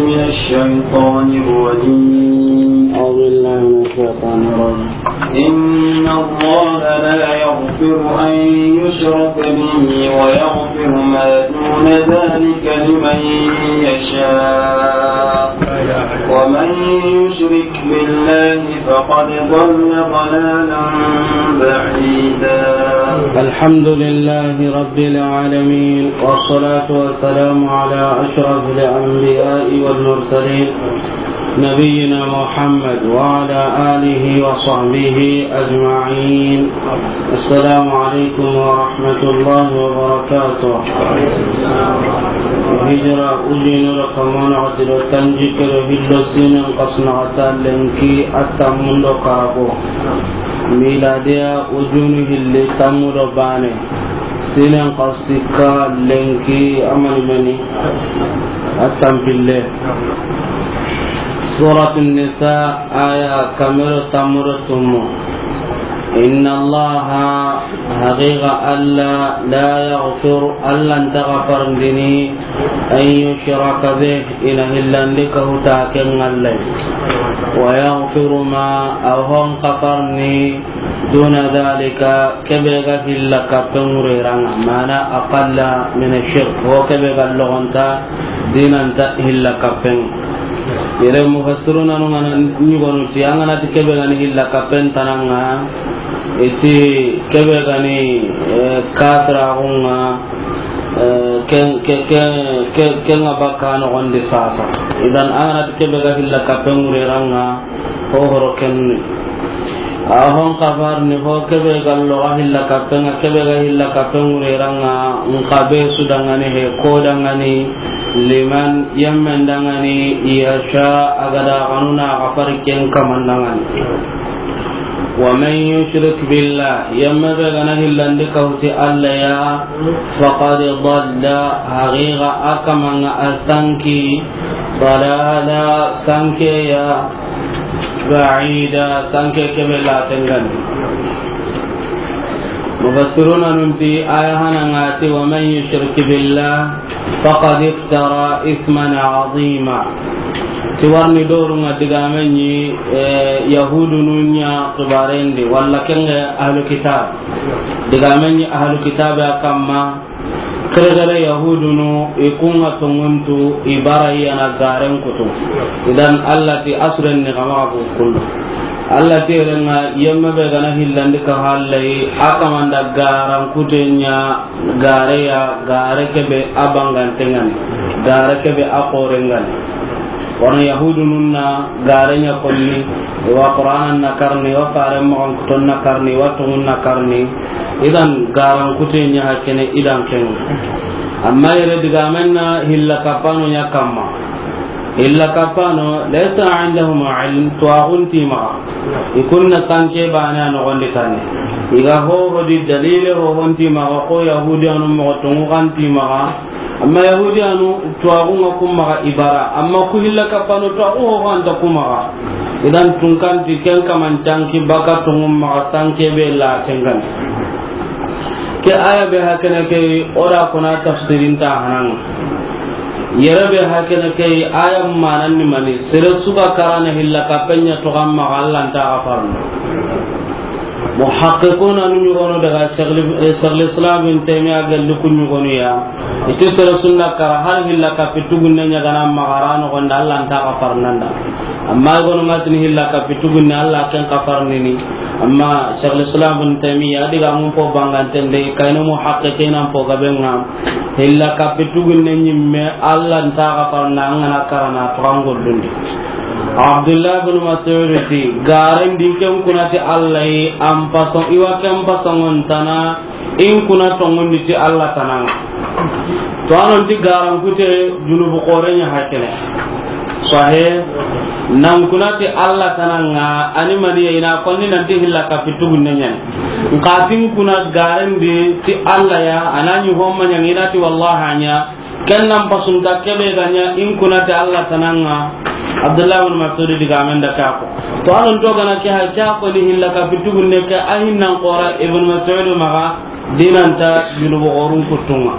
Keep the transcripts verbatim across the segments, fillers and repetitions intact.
من الشيطان الرجيم. أعوذ بالله من الشيطان الرجيم. إن الله لا يغفر أن يشرك به ويغفر ما دون ذلك لمن يشاء، ومن يشرك بالله فقد ضل ضلالا بعيدا. الحمد لله رب العالمين، والصلاة والسلام على أشرف الأنبياء والمرسلين، نبينا محمد وعلى آله وصحبه أجمعين. السلام عليكم ورحمة الله وبركاته. Hijira ujunu do kamana xati do tanjikke do hillo siinen xasu naxata lenki a tammun do karago. Miladiya ujunu hilli tammu do baane. Siinen xasu sikka lenki a mani mani a tampille. Suratun Nisa, aya kame do tammu do tummu. Inna Allaha, haqiqa Alla, la yaghfiru, Alla nta gafarindini, an yushraka bih, i na hillandi kahuta ken Alla yi. Wa yaghfiru ma, a hon gafarini, duna dhalika, kebe ga hilla kappen ŋureranga, mana aqalla min ash-shirk, ho kebe ga logonta, dinanta hilla kappen. Yere mufassiruna nu ŋa na ɲugonu ti, an ga na ti kebe ga ni hilla kappen tananga, i ti kebe ga ni, eh, kafiraxu ŋa, eh, ken, ke, ke, ke, ken ŋa bakka noxondi sasa. Idan an ga na ti kebe ga hilla kappen ŋureranga, ho horo kenni. A hon gafarini ho kebe ga loga hilla kappen ŋa, kebe ga hilla kappen ŋureranga, nxa be su dangani he, ko dangani, liman, yemmen dangani, yasha, a ga da xanuna gafari ken kaman dangani. Wa man yushrik billah, yemme be ga na hillandi kahuti Alla ya, faqad dalla, haqiqa a kamanga a sanki, dalala, sanke ya, ba'ida, sanke kebe la tengani. Mufassiruna nun ti aya hananga ti, wa man yushrik billah faqad iftara ithman azima. Ti warni dorunga digamenni, eh, Yahudunu ɲa xibarendi, walla kenge ahlu kitab. Digamenni ahlu kitab a kamma, Kere-kere Yahudunu, i kunga tonguntu, i bara i yana garen kutu. Idan Alla ti asuren ni kama ku kundu. Alla ti renga yemme be ga na hillandi ka hallai, a kamanda garan kutenya, gare ya, gare kebe a bangantengani, gare kebe a korengani. Wano Yahudunun na gare ɲa konni, i wa Qur'anan na karni, i wa faren moxon kuton na karni, i wa tongun na karni. Idan garan kute ɲa hakene idan ken. Amma yere digamen na hilla kapano ɲa kamma. Hilla kapano, laysa indahum ilm, tuwaxun ti maxa. I kunna sanke bane a noxondi tanne. I ga hoho di dalile hohon ti maxa, ko Yahudiyanu moxo tongu kan ti maxa. Amma Yahudiyanu tuwaxun ŋa kun maxa i bara, amma ku hilla kapano tuwaxu hoho anta ku maxa. Idan tunkanti ken kaman tanki baka tungun maxa sanke be la tengani. Ke aya be hakene ke, o da kona tafsirin ta hanan. Yere be hakene ke, aya manan ni mani, sere suga karana hilla kapen ɲa to kan maxa Alla nta gafarno. Muhaqqiquna nu ɲugono daga Shaykhul, eh, Shaykhul Islam Ibn Taymiyyah galli ku ɲugonu ya. Iti sere sunna kara har hilla kapi tugunne ɲa gana maxa ra noxon da Alla nta gafarnanda. Amma gonu ŋa tini hilla kapi tugunne Alla ken gafarnini. Amma Shaykhul Islam Ibn Taymiyyah diga mun po banganten de, kayno muhaqqiqina po gabenga. Hilla kapi tugunne ɲimme Alla nta gafarna an ga na karana to kan gollundi. Abdullah bin Mas'ud ti, garen di ken kuna ti Alla yi, an pason, i wa ken pason tana, in kuna tongundi ti Alla tananga. To anon ti garan kute junubu xore ɲa hakene. Sahe, nan kuna ti Alla tananga, ani maniya ina konni nan ti hilla kapi tugunne ɲa ni. Nka tin kuna garen di ti Alla ya, anani homma ɲa ina ti wallahi anya, Ken nan pasunta kebe ga ɲa in kuna ti Alla tananga. Abdullah bin Mas'ud digamen da ka ko. To anon to gana ke ha ka ko ni hilla kapi tugunne ke a hinnan xora Ibn Mas'ud maxa dinanta junubu xorun kutunga.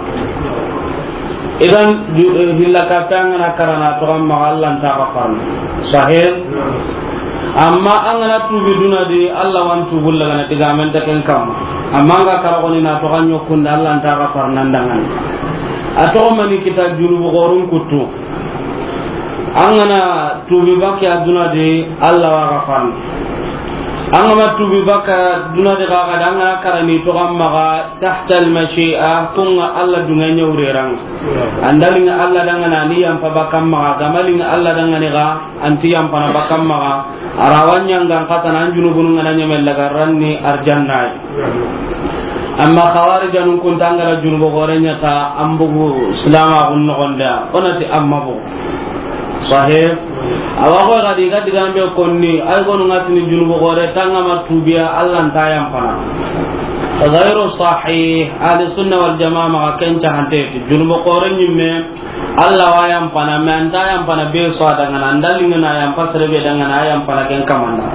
Idan, ju-, eh, hilla kappe an ga na kara na toxo an maxa, Alla nta xa farana. Sahih? Amma an ga na tuubi duna di, Alla wa an tuubu lagana, digamen nta ken kamma. Amma an ga kara xoni na toxo an ɲokkunde, Alla nta xa farana an danŋa ni. A toxo mani kita junubu xoorun kuttu. An ga na tuubi bakke a duna di, Alla wa xa farana. An ga ma tuubi bakke a duna di xa, xa da an ga na kara ni toxo an maxa, tahta al-mashi'a, kun ŋa Alla duŋe ɲa wure ra ŋa. An da liŋa Alla danŋa ni, a ni yampa bakke an maxa, ga ma liŋa Alla danŋa ni xa, an ti yampana bakke an maxa. A ra wa ɲaŋan xatana, an junubunu ŋa na ɲeme laga ran ni arjanna yi. Amma xawarijanun kun ta, an ga ra junubu xoore ɲa ta, an bugu silaamaxun noxon di ya, o na ti an ma bugu. Sahih. Awa xo ga di ga digaame be konni, ay gonu ŋa ti ni junubu xoore ta, an ga ma tuubi ya, Alla nta yampana. Ghayru sahih. Ahli sunna wal jamaa maxa ken ca hante ti junubu xoore ɲimme, Alla wa yampana, mais an nta yampana be su a danŋa na, an da liŋa na yampa sere be danŋa na, a yampana ken kamanda.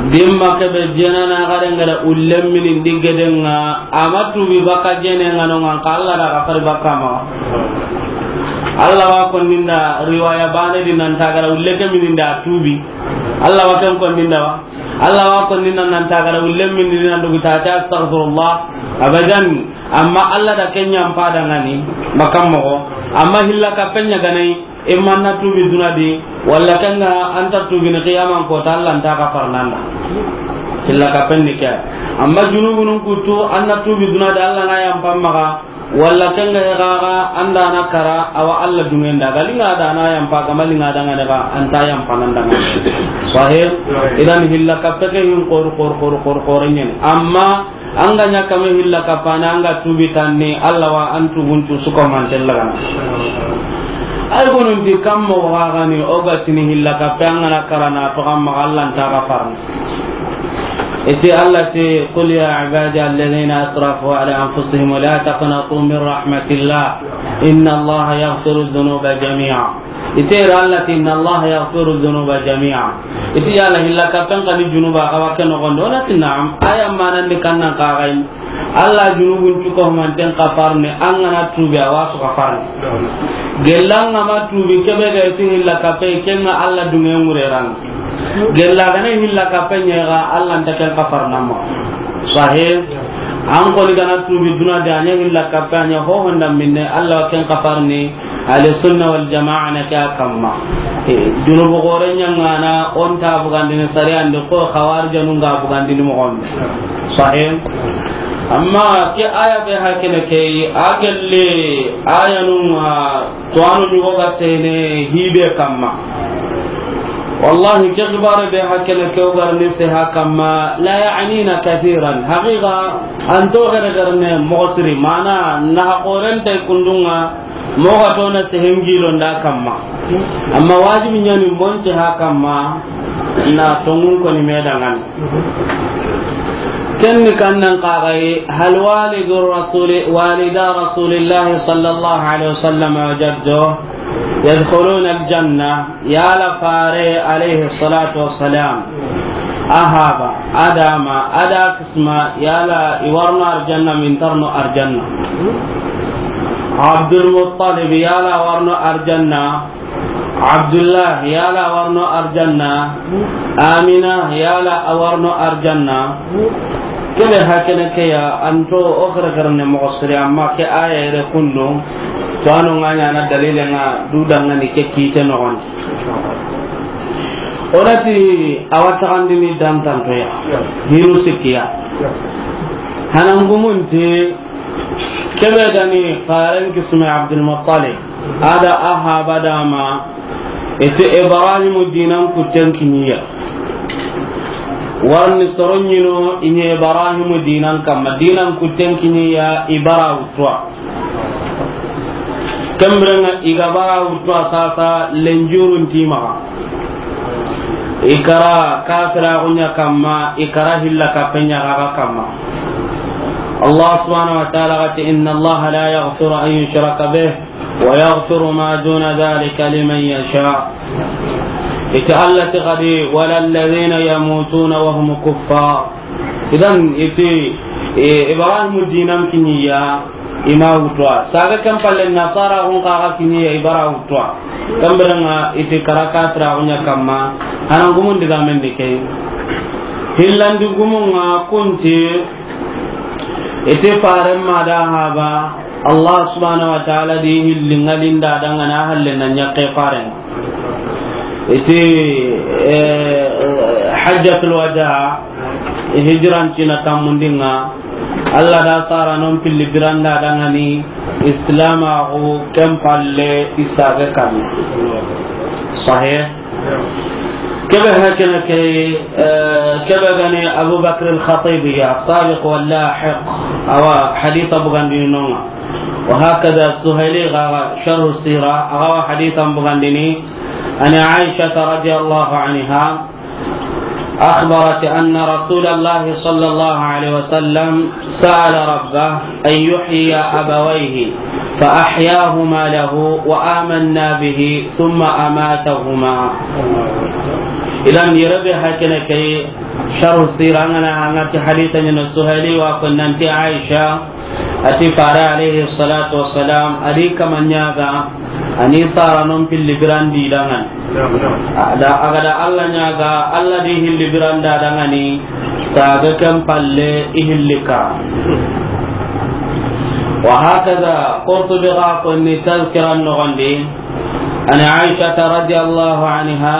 Dimma ke be jena na ga da ŋa da ulle mini ndi gede ŋa, a ma tuubi bakke jene ŋa no ŋa, an xa Alla da xa fari bakke ma. Alla wa konni nda riwaya baane di nan ta ga da ulle ke mini nda tuubi. Alla wa ken konni nda wa. Alla wa konni nda nan ta ga da ulle mini nan dugu ta ta astaghfirullah. Abadan. Amma Alla da ken yampa danŋa ni, bakke an maxa. Amma hilla kappe ɲa ga na yi, imma an na tuubi duna di, walla ken ŋa an nta tuubini xiyaman koota, Alla nta xa farana an da. Hilla kappe ni ke. Amma junubunun kuttu, an na tuubi duna di, Alla na yampa an maxa, walla ken ŋa xa, xa an da na kara, awa Alla duŋen da. Ga liŋa da na yampa, ga ma liŋa danŋa ni xa, an nta yampana an danŋa. Sahih? Idan hilla kappe ke hin xoore, xoore, xoore, xoore, xoore ɲa ni. Amma an ga ɲa kame hilla kappana, an ga tuubi tanni, Alla wa an tuubun cu su ko manten lagana. Ay gonun ti kamma wa ga ni, o ga ti ni hilla kappe an ga na kara na toxo an maxa, Alla nta xa farana. I ti Alla ti, "Qul ya ibadiya alladhina asrafu ala anfusihim la taqnatu min rahmatillah, inna Allaha yaghfiru dhunuba jami'a." I ti ra Alla ti, "Inna Allaha yaghfiru dhunuba jami'a." I ti yala hilla kappen xa ni junuba xa wa ke noxon di? O na ti na'am. Aya manan di kan nan xa ga yi. Alla junubun cu ko manten xa farana, an ga na tuubi a wa su xa farana. Gella an ga ma tuubi, ke be ga ti hilla kappe, ken ŋa Alla duŋe ŋure ra ŋa. Gella ga na hilla kappe ɲa xa, Alla nta ken xa farana an maxa. Sahih. An koni ga na tuubi duna di, a ɲa hilla kappe, a ɲa ho honda minne, Alla wa ken xa farana. Ahli sunna wal jamaa na ke a kamma. Eh, junubu xoore ɲaŋana, o nta bugandini sariyan di, xo xawarijanun ga bugandini moxon di. Sahih. Amma ke aya be hakene ke, a gelle ayanun ŋa, to anu ɲugo ga sene hibe kamma. Wallahi, ke xibare be hakene ke, o ga ri ni se ha kamma, la ya'nina kathiran. Haqiqa, an to gere gere ne moxo siri, mana na ha xoren tay kundun ŋa, moxo ga to na sehen gilo nda kamma. Amma wajibi ɲa ni monte ha kamma, na tonŋun koni me danŋa ni. Ken ni kan nan xa ga yi, hal walidu rasuli, walida rasulillahi sallallahu alaihi wasallam wa jaddo yadkhuluna aljanna, yala fare alayhi salatu wassalam, a haba, a da ma, a da kisma, yala i wa ro no arjanna, min ta ro no arjanna. Abdul Muttalib, yala a wa ro no arjanna. Abdullah, yala a wa ro no arjanna. Amina, yala a wa ro no arjanna. Ke be hakene ke ya, an to o xere xere ne moxo siri, amma ke aya yere kundu. To anu ŋa ɲa na dalile ŋa du danŋa ni ke kite noxon di. O na ti a wa taxandini dantanto ya. Hinu sikki ya. Hanan gumun ti, ke be ga ni faren kisme Abdul Muttalib, a da a haba da ma, i ti Ibrahimu dinan kutten kiniya. Warni soro ɲi no i ɲi Ibrahimu dinan kamma, dinan kutten kiniya i bara wuttuwa. Ken biren ŋa i ga bara wuttuwa sasa, lenjurun ti maxa. I kara kafiraxu ɲa kamma, i kara hilla kappe ɲa xa ga kamma. Allah subhanahu wa ta'ala ga ti, "Inna Allah la yaghfiru an yushraka bih, wa yaghfiru ma duna dhalika liman yasha." I ti Allah ti xadi, "Wala alladhina yamutuna wa hum kuffar." Idan i ti, e, Ibrahimu dinan kiniya, I ma wutu wa. Saga ken palle nasara xun xa ga kiɲe ya i bara wutu wa. Ken biren ŋa i ti kara kafira xun ɲa kamma. Hanan gumun diga men di ke. Hillandi gumun ŋa kunti i ti faren ma da haba Allah subhanahu wa ta'ala di hilli ŋalinda dangana halle na ɲakke faren. I ti, eh, hajjatul wada, hijran cina tammundin ŋa, Allah da sara non pilli biranda dangani islama xo ken palle i sage kan. Sahih. Kebe hakene ke, eh, kebe gani Abu Bakr al-Khatib ya, sabiq wal lahiq, awa haditha bugandini nonga. Wa hakada Suhaili ga sharh sira, awa haditha bugandini, an Aisha radiyallahu anha, أخبرت أن رسول الله صلى الله عليه وسلم سأل ربه أن يحيي أبويه فأحياهما له وآمنا به ثم أماتهما. Idan yere be hakene ke sharh sira ngana angati haditha ni Suhaili wa ko nanti Aisha Ati fare alayhi salatu wassalam, a di kama ɲaga, a ni sara non pilli birandi dangan. A da, a ga da Allah ɲaga, Allah di hilli biranda dangani, saga ken palle i hilli ka. Wa hakaza, Qurtubi ga konni tazkiran nogondi, an Aisha radiyallahu anha,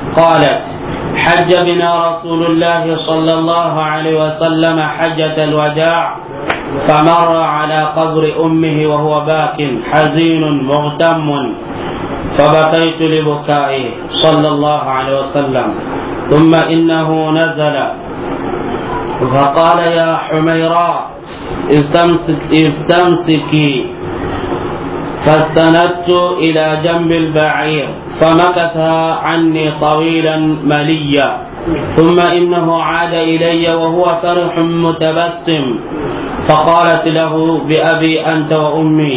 قالت: حج بنا رسول الله صلى الله عليه وسلم حجة الوداع، فمر على قبر أمه وهو باك حزين مغتم، فبكيت لبكائه صلى الله عليه وسلم، ثم إنه نزل فقال: يا حميراء، استمسك-، استمسكي. فاستندت إلى جنب البعير، فمكث عني طويلا مليا، ثم إنه عاد إلي وهو فرح متبسم، فقالت له: بأبي أنت وأمي،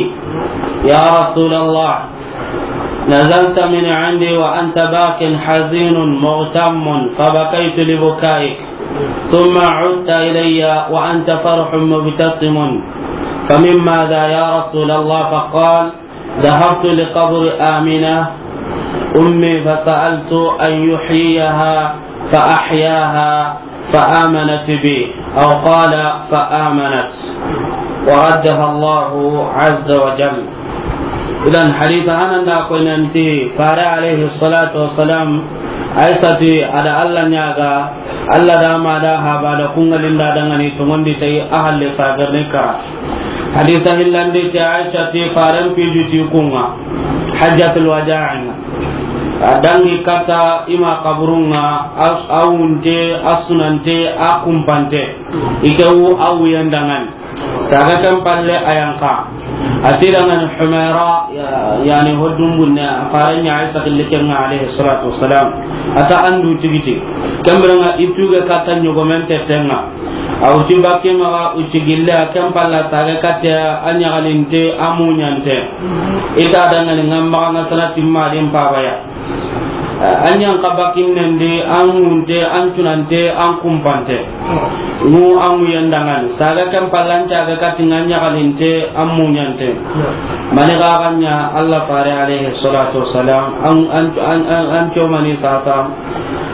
يا رسول الله، نزلت من عندي وأنت باك حزين مغتم، فبكيت لبكائك، ثم عدت إلي وأنت فرح مبتسم، فمما ذا يا رسول الله؟ فقال: ذهبت لقبر آمنة أمي فسألت أن يحييها فأحياها، فآمنت بي، أو قال فآمنت، وردها الله عز وجل. Idan hadisa hanan da ko nanti fare alayhi salatu wassalam, Aisha ti a da Allah ɲaga, Allah da ma da haba da kungalinda dangani tongondi tayi a halle sagarni kara. Hadisa hillandi ti Aisha ti faren piju ti kunga hajjatul wada'in. A dangi kata ima kaburunga, as-, a wunte, a sunante, a kumpante. Ike wu a wuyan dangan. Saga ken palle a yanka. A ti dangan Humaira, ya-, yani hoddun bunne, a faren ɲa Aisha killi kenga alayhi salatu wassalam. A ta andu tigiti. Kembranga ituge kata ɲogomente tenga. A wuti bakke maga, wuti gille, a ken palla tage katte, a ɲagalinte, a muɲante. Ita dangani ngam maga nga sana timma din pabaya. A ɲan ka bakkinnen di, an ŋunte, an tunante, an kumpante. Ngu an ŋuyen dangani. Saga ken palla an tage katti nga ɲagalinte, an muɲante. Mani ga ganya Allah fare alayhi salatu wassalam, an, an, an, an, an comani sasa.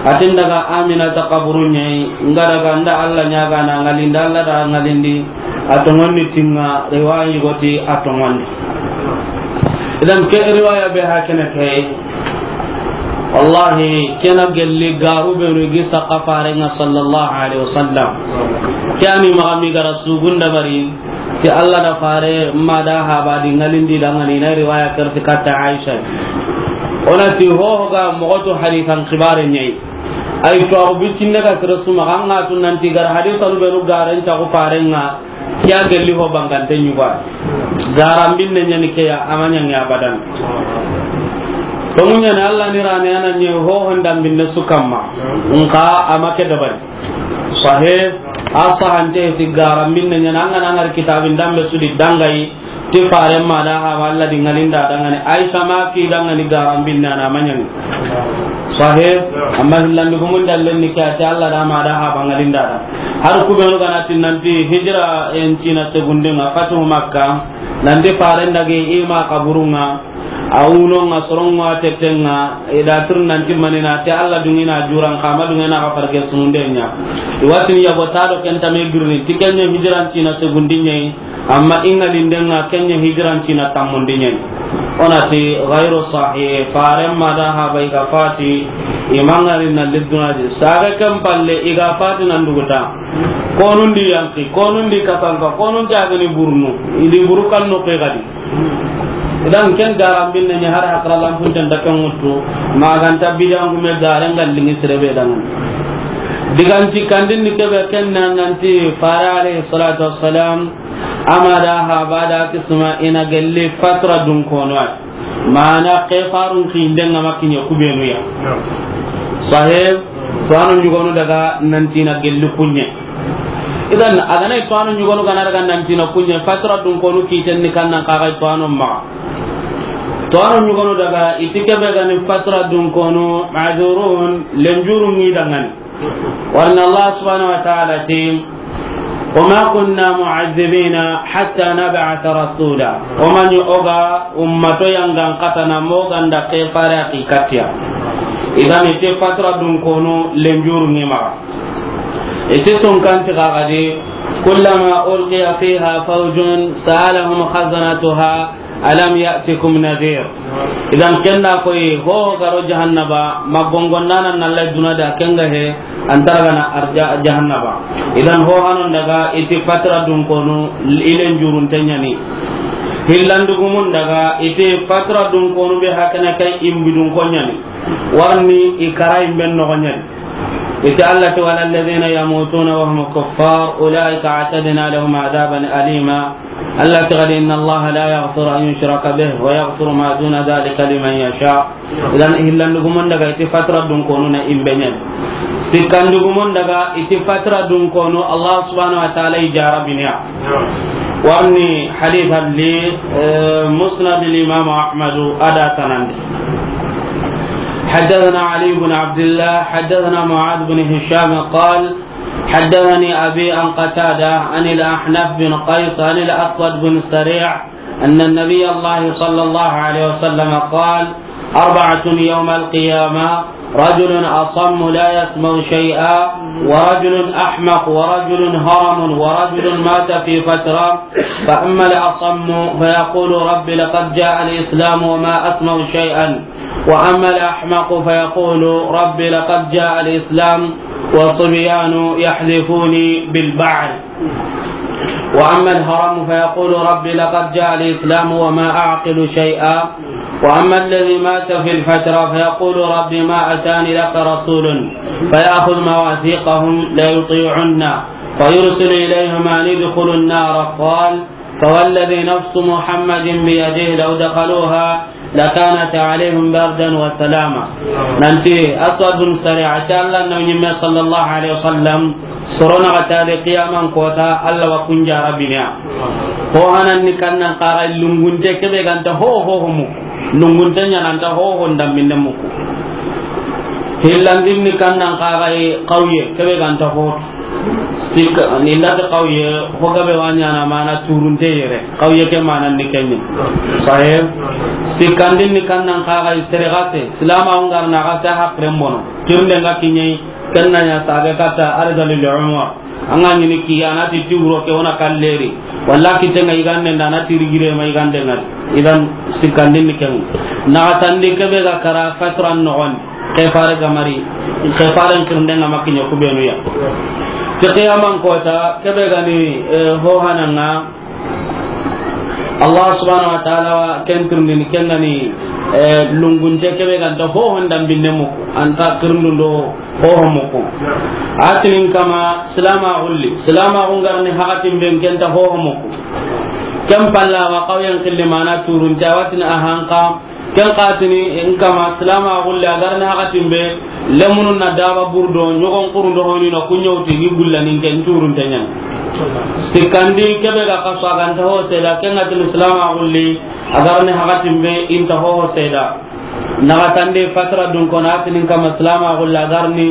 Atin daga Aminata kaburu ɲayi, nga daga nda Allah ɲaga na ngalindi, Allah da ngalindi, a tongondi tinga, riwayi goti a tongondi. Idan ke riwaya be hakene ke, wallahi, kena gelli garu be no gi saqa farenga sallallahu alaihi wasallam. Kani magami gara sugunda bari, ti Allah da fare ma da haba di ngalindi dangani na riwaya kerti katta Aisha. Ona ti ho ga mogoto hadisan kibare ɲayi. Ay to abu bicinne ga sere suma ga nga tu nanti gar hadisanu be ru garen ta ko farenga. Kiya gelli ho bangante ɲuga. Garambinne ɲani ke ya, ama ɲangi abadan. To munya ne Allah ni rane ana ɲe ho honda binne sukamma. Nka ama ke dabari. Sahe, a sahante ti garambinne ɲana, an ga na ngar kitabin dambe sudi dangayi, Ti faren ma da haba Alla di ŋalinda dangani, Aisha ma ki dangani garambinne na ma ɲaŋi. Sahih. Amma hillandi gumun dallen ni ke, a ti Alla da ma da haba ŋalinda da. Har ku benu ga na ti nanti hijira en cina segundiŋa, fatu Makka, nanti faren dage i ma kaburunŋa, a wunoŋa, soronŋa, tetteŋa, i da tir nanti manina, ti Alla duŋina juran kama duŋina ga farge sununde ɲa. I watini yago ta do ken tame girni, ti ken ɲa hijiran cina segundinɲe yi, amma i ŋalindeŋa ken ɲa hijiran cina tammundinɲe yi. O na ti ghayru sahih, faren ma da haba i ga fati, i ma ŋari na lidduna di. Saga ken palle i ga fati nan duguta. Konundi yanki, konundi kasanka, konun jagani burnu, i di buru kannu ke gadi. Idan ken garambinne ɲa har hakra lampunten da ken ŋuttu, maganta bidangume garen galliŋi sirebe dangani. Diganti kandin ni kebe ken na nanti fare alayhi salatu wassalam, ama da haba da kisma i na gelli fatra dun kono ay. Mana ke farun kinden ŋa ma kiɲe ku benu ya. Sahib, to anu ɲugonu daga nanti na gelli kuɲe. Idan, a ga na i to anu ɲugonu ga na daga nanti na kuɲe, fatra dun konu kiten ni kannan kaga i to anu ma. To anu ɲugonu daga i ti kebe ga ni fatra dun konu, ma'zurun, lenjuru ŋi dangani. Warna Allah subhanahu wa ta'ala ti, "Wa ma kunna mu'azzibina hatta nab'atha rasula." O ma ɲi o ga ummato yangan katana mo ganda ke fare a ki katiya. Idan i ti fatra dun konu lenjuru ŋi ma. Iti sunkanti kagadi, "Kullama ulqiya fiha fawjun sa'alahum khazanatuha alam ya'tikum nadhir." Idan ken da koyi ho garo jahannaba, ma gongondanan na lay duna da ken ga he, antara gana arja jahannaba. Idan ho hanon daga iti fatra dun konu ilen jurun tenyani. Hillandugumun daga iti fatra dun konu be hakana kai imbidun konyani. Warni i kara imben no konyani. Ita Allah ti, "Wala alladhina yamutuna wa hum kuffar, ulaika a'tadna lahum adhaban alima." Allah ti, "Inna Allah la yaghfiru an yushraka bihi wa yaghfiru ma duna dhalika liman yasha." Idan hillandugumon daga iti fatra dun konu na imbenyen. Sikkandugumon daga iti fatra dun konu Allah subhanahu wa ta'ala i jarabiniya. Warni hadith alli, eh, Musnad al-Imam Ahmad ada tanandi. حدثنا علي بن عبد الله، حدثنا معاذ بن هشام قال: حدثني أبي عن قتادة عن الأحنف بن قيس عن الأسود بن سريع أن النبي الله صلى الله عليه وسلم قال: أربعة يوم القيامة: رجل أصم لا يسمع شيئا، ورجل أحمق، ورجل هرم، ورجل مات في فترة، فأما الأصم فيقول: رب لقد جاء الإسلام وما أسمع شيئا، وأما الأحمق فيقول: رب لقد جاء الإسلام وصبيان يحذفوني بالبعر. وأما الهرم فيقول: رب لقد جاء الإسلام وما أعقل شيئا. وأما الذي مات في الفترة فيقول: رب ما أتاني لك رسول، فيأخذ مواثيقهم ليطيعن، فيرسل إليهم أن ادخلوا النار. قال: فوالذي نفس محمد بيده لو دخلوها لكانت عليهم بردا وسلاما. Nanti Aswadun Sari, a ti Allah na ɲimme sallallahu alaihi wasallam, sorona ga tare qiyaman kota, Allah wa kun jarabiniya. Ho hanan ni kannan kaga lungunte kebe ganta ho ho ho mu. Lungunte ɲananta ho ho ndambinde muku. Hillandin ni kannan kaga qawye kebe ganta ho. Sik-, ni lati qawye, ho gabe wa ɲana mana turunte yere. Qawye ke mana ni kenni. Sahib. Sikkandin ni kannan kaga sere gase, silama ungar na gase hakren bono. Kirnde nga kinyai, kenna ɲa sabe kata arzalil umur. Anga ɲini ki, anati ti wuro ke wona kalleri. Walla kitenga igande nda, anati rigire ma igande ngari. Idan sikkandin ni ken. Na tandi kebe ga kara fatran nogon. Ke fare ga mari, ke fare kirnde nga makinya kubenu ya. Ke qiyaman kota, kebe gani, eh, ho hananga. Allah subhanahu wa ta'ala wa ken turndini ken gani, eh, lungunte kebe ganta ho honda binne muku, anta kirndundo ho ho muku. Atinin kama silama gulli, silama gungarni hakatin ben kenta ho ho muku. Ken palla wa qawyan qilli mana turunte, awatin ahanka. Ken katini in kama silama gulle a garni hakatin be, lemunun na daba burdo, ɲogon kurundo honi na kunyauti ni gulla nin ken turun tenyan. Sikkandi, kebe ga kaso a ga nta ho seeda, ken ga tini silaame a gulli, a ga ri ni hakatin be, i nta ho seeda. Naxatandi, fatra dun kono, a tini kama silaame a gulli, a ga ri ni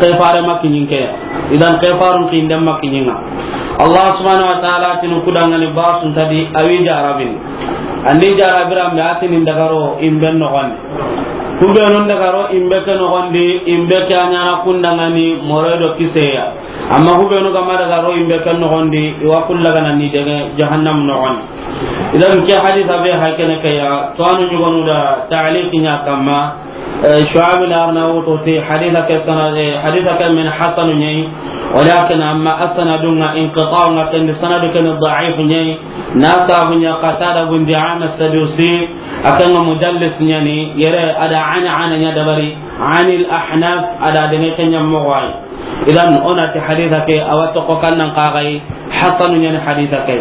ke fare ma kiɲi ke ya. Idan ke farun kinden ma kiɲi ŋa. Allah subhanahu wa ta'ala tini ku da ŋa ni ba su nta di, a wi jarabini. An di jarabira me, a tini n daga ro i be noxon di. Ku be nu n daga ro i be ke noxon di, i be ke a ɲaana ku da ŋa ni moroy do kise ya. Amma ku be nu ga ma daga ro i be ke noxon di, i wa ku laga na ni dege jahannam noxon di. Idan ke hadisa be ha kene ke ya, to anu ɲugonu da ta'liq ɲa kamma, eh, Shu'aib al-Arnaut ti hadisa ke sanad, eh, hadisa ke min hasan ɲa yi, walakin amma as-sanadu ŋa inqita' ŋa ken di, sanadu ken da'if ɲa yi, na sabu ɲa Qatada bin Di'ama as-Sadusi, a ken ŋa mudallis ɲa ni, yere a da an, an ɲa dabari, anil Ahnaf, a da dege ken ɲa moxo wa yi. Idan, o na ti hadisa ke, a wa toxo kannan kaxay, hasanu ɲa ni hadisa ke.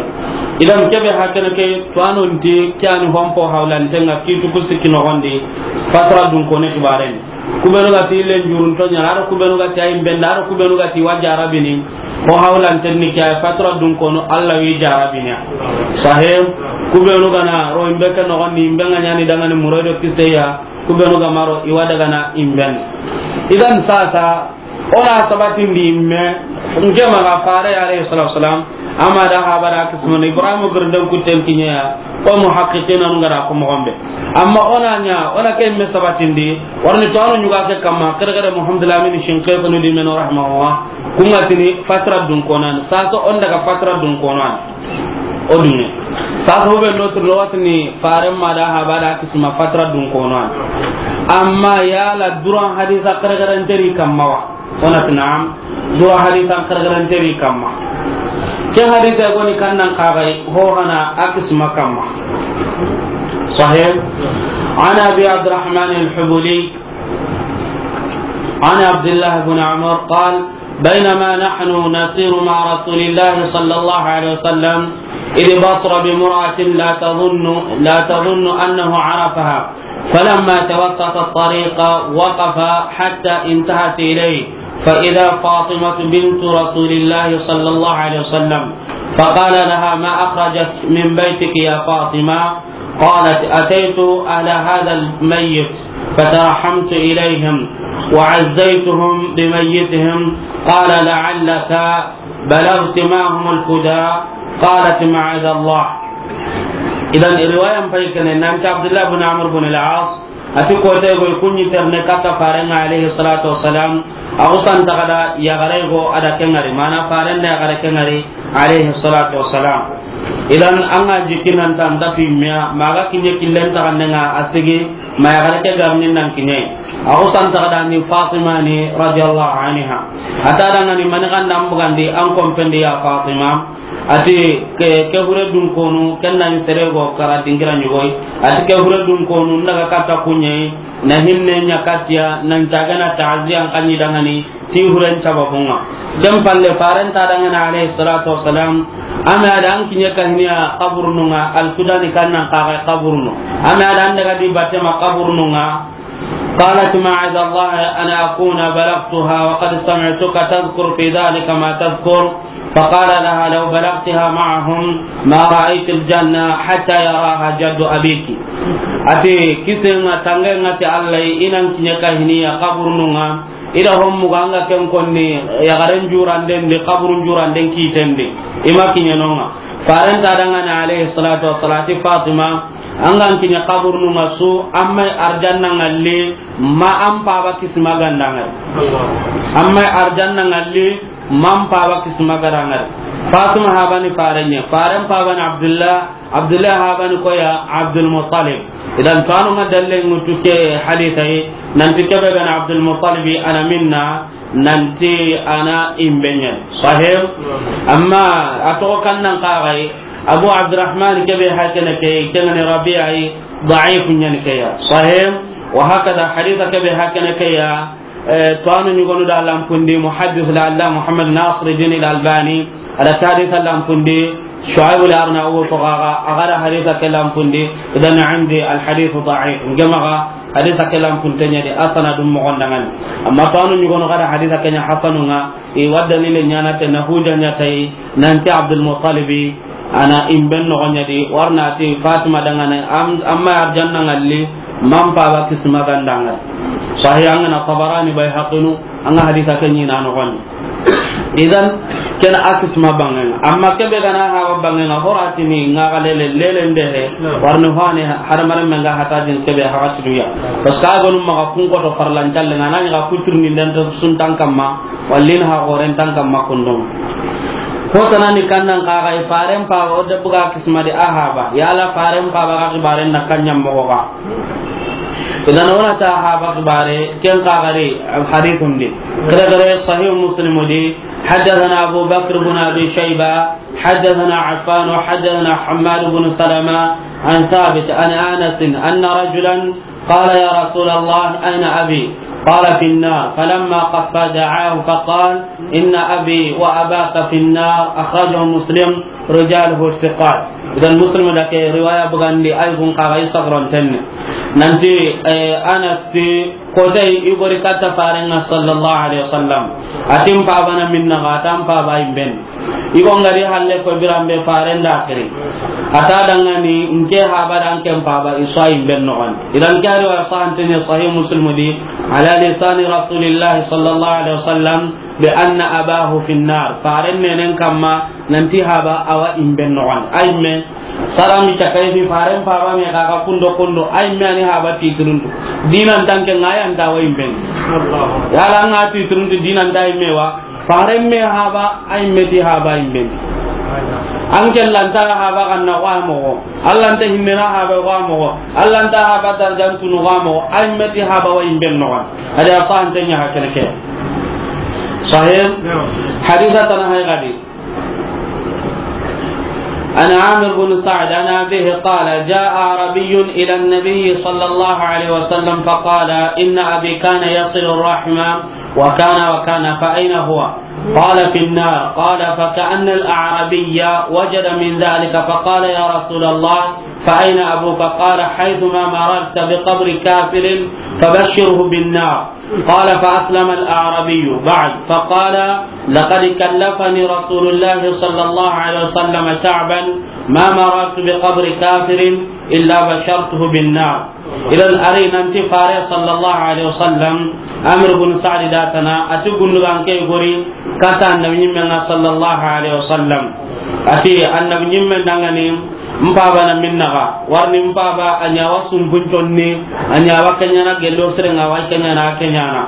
Idan, kebe ha kene ke, to anu nti, ke a ni hompo hawlanten ŋa, kitu ku sikki noxon di, fatra dun kono xibaren. Ku be nu ga ti len jurun to ɲa, a do ku be nu ga ti a yi be n da, a do ku be nu ga ti wa jarabini, ho hawlanten ni ke ya, fatra dun kono, Allah wi jarabini ya. Sahih, ku be nu ga na ro i be ke noxon di, i be ŋa ɲaani da ŋa ni moroy do kise ya, ku be nu ga ma ro i wa daga na i be n di. Idan sasa, o na sabatindi me, nke maxa fare alayhi salatu wasalam, a ma da haba da kismani, Ibrahim girden kutten kiɲe ya, o muhaqqiqina nu ga da ko moxo be. Amma o na ɲa, o na ke me sabatindi, wari ni to anu ɲuga ke kamma, kere kere Muhammad Lamin Shinqitinu di men rahimahullah, ku ŋa tini fatra dun kono ni, sasa o n daga fatra dun kono ni. O dunŋe. Sasa hube no turno watini faren ma da haba da kisma fatra dun kono an. Amma yala duran hadisa kare karen teri kamma wa? O na ti naam. Duran hadisa kare karen teri kamma. Ke hadisa goni kannan kaxay ho hana a kisma kamma. Sahih. عن أبي عبد الرحمن الحبولي عن عبد الله بن عمر قال: بينما نحن نسير مع رسول الله صلى الله عليه وسلم، إذ بصر بامرأة لا تظن، لا تظن أنه عرفها، فلما توسط الطريق وقف حتى انتهت إليه، فإذا فاطمة بنت رسول الله صلى الله عليه وسلم، فقال لها: ما أخرجك من بيتك يا فاطمة؟ قالت: أتيت أهل هذا الميت فترحمت إليهم وعزيتهم بميتهم. قال: لعلك بلغت معهم الفداء. قالت: معاذ الله. Idan riwayan pay kene nanti Abdullah bin Amr bin al-As, ati kote go kunni terne kata farenga alayhi salatu wassalam, a usan tagada yagare go ada kengari, mana farenda yagare kengari alayhi salatu wassalam. Idan an ga jikki nan ta nta fi miya, ma ga kiɲe killen taxanden ŋa a sigi, ma yaxare ke garni nan kiɲe. A xo san taxada ni Fatima ni radiyallahu anha. A ta dangani mani xanda an bugandi an kompendi ya Fatima. A ti ke, ke hure dun konu, ken na ni sere go kara dingira ɲugoy. A ti ke hure dun konu, n daga katta kuɲe, na hinne ɲa kattiya, nan cagana taaziya an kanni dangani, ti huren sababunga. Ken palle, faren ta dangana alayhi salatu wassalam, ame ada an kiɲe kahiniya kaburununga, al-Sudani kannan kaga kaburunu. Ame ada an daga di batema kaburununga. قالت: معاذ الله أن أكون بلغتها وقد سمعتك تذكر في ذلك ما تذكر. فقال لها: لو بلغتها معهم ما رأيت الجنة حتى يراها جد أبيك. A ti, kisenga tangenga ti Allah, i nan kiɲe kahiniya kaburununga, i da hommu ganga ken konni, yaxaren juranden di, kaburun juranden kiten di, i ma kiɲe nonga. Faren ta dangana alayhi salatu wassalam, a ti Fatima, an ga an kiɲe kaburununga su, an ma arjanna ngalli, ma an paba kisima gandangari. An ma arjanna ngalli, ma an paba kisima gandangari. Fatima habani farenye, faren pabani Abdullah, Abdullah habani koya Abdul Muttalib. Idan tanu ma dalle ngutu ke haditha yi, nanti kebe gana Abdul Muttalib ana minna, nanti ana imbenyen. Sahih? Amma a toxo kannan kagai, Abu Abdurrahman kebe hakene ke, kengani Rabi'a yi, da'if nyen ke ya. Sahih? Wa hakada haditha kebe hakene ke ya, Eh, to anu ɲugonu da lampundi, muhaddis la Allah Muhammad Nasiruddin al-Albani, ada haditha lampundi, Shu'aib al-Arnaut to gaga, agada haditha ke lampundi, idan indi al-hadith da'if. Ngemaga, Hadisa ke lanpunte ɲa di, a sanadun moxon da ŋa ni. Amma to anu ɲugono ga da hadisa ke ɲa hasanu ŋa, i wa dalile ɲaana te na hujja ɲa ta yi, nanti Abdul Muttalibi a na imben noxon ɲa di, wari na ti Fatima da ŋa ni, am-, amma arjanna ŋalli, man paba kisma ga nda ŋa. Sahih an ga na Tabarani, Bayhaqinu, an ga hadisa ke ɲi na noxon di. Idan, ken a kisma banŋen ŋa. Amma kebe ga na haba banŋen ŋa, horatini ŋa ga lele, lele ndehe, wari ni fani hadamaren men ga hata din kebe haxa siduya. Parce que a gonu maxa kun koto farlan callen ŋa, na ɲi ga kuturni den to sun tan kamma, wallin ha goren tan kamma kundum. Ko tanani kannan ka ga i faren paba o de buga kisma di a haba. Yala faren paba ga kibaren na kanyan moxo ga. Idan wona ta haba kibare, ken ka gari hadithun di. Kere kere Sahih Muslim di, حدثنا أبو بكر بن أبي شيبة، حدثنا عفان، حدثنا حماد بن سلمة عن ثابت عن أنس أن رجلا قال: يا رسول الله، أين أبي؟ قال: في النار. فلما قفى دعاه فقال: إن أبي وأباك في النار. أخرجه مسلم. رجاله ثقات. Idan Muslim da ke riwaya bugandi, ay gun ka ga i sagron tenne. Nanti, eh, Anas ti, ko tay i gori katta faren ŋa sallallahu alaihi wasallam. Atin paba na minna ga, atan paba imben. I go ngari halle ko birambe faren da kiri. Ata dangani nke haba dan ken paba i so imben no wan. Idan ke riwaya sahantene Sahih Muslim di, على لسان رسول الله صلى الله عليه وسلم بأن أباه في النار. Faren nenen kamma nanti haba awa imben noxon. Ay me, sarami cakay fi faren paba me kaka kundo kundo. Ay me ani haba titruntu. Dinan tanke ngayan ta wa imben. Yala nga titruntu dinan ta imme wa. Faren me haba, ay me ti haba imben. An ke lanta haba kanna wa moxo. Alla nta hinnena haba wa moxo. Alla nta haba darjan tunu wa moxo. Ay me ti haba wa imben noxon. Adi a sahantenya hakene ke. Sahih. Hadisa tana hay gadi. عن عامر بن سعد عن أبيه قال: جاء أعرابي إلى النبي صلى الله عليه وسلم فقال: إن أبي كان يصل الرحم وكان وكان، فأين هو؟ قال: في النار. قال: فكأن الأعرابي وجد من ذلك فقال: يا رسول الله، فأين أبوك؟ قال: حيثما مررت بقبر كافر فبشره بالنار. قال: فأسلم الأعرابي بعد، فقال: لقد كلفني رسول الله صلى الله عليه وسلم تعبا ما مررت بقبر كافر إلا بشرته بالنار. Idan ari nanti fare sallallahu alaihi wasallam, Amir bin Sa'd da tana, ati gundugan ke gori kata annabi ɲimmen ŋa sallallahu alaihi wasallam. Ati annabi ɲimmen dangani, mpaba na minna ga, warni mpaba a ɲa wa sumbunconni, a ɲa wa kenyana gello sere ŋa wa kenyana kenyana.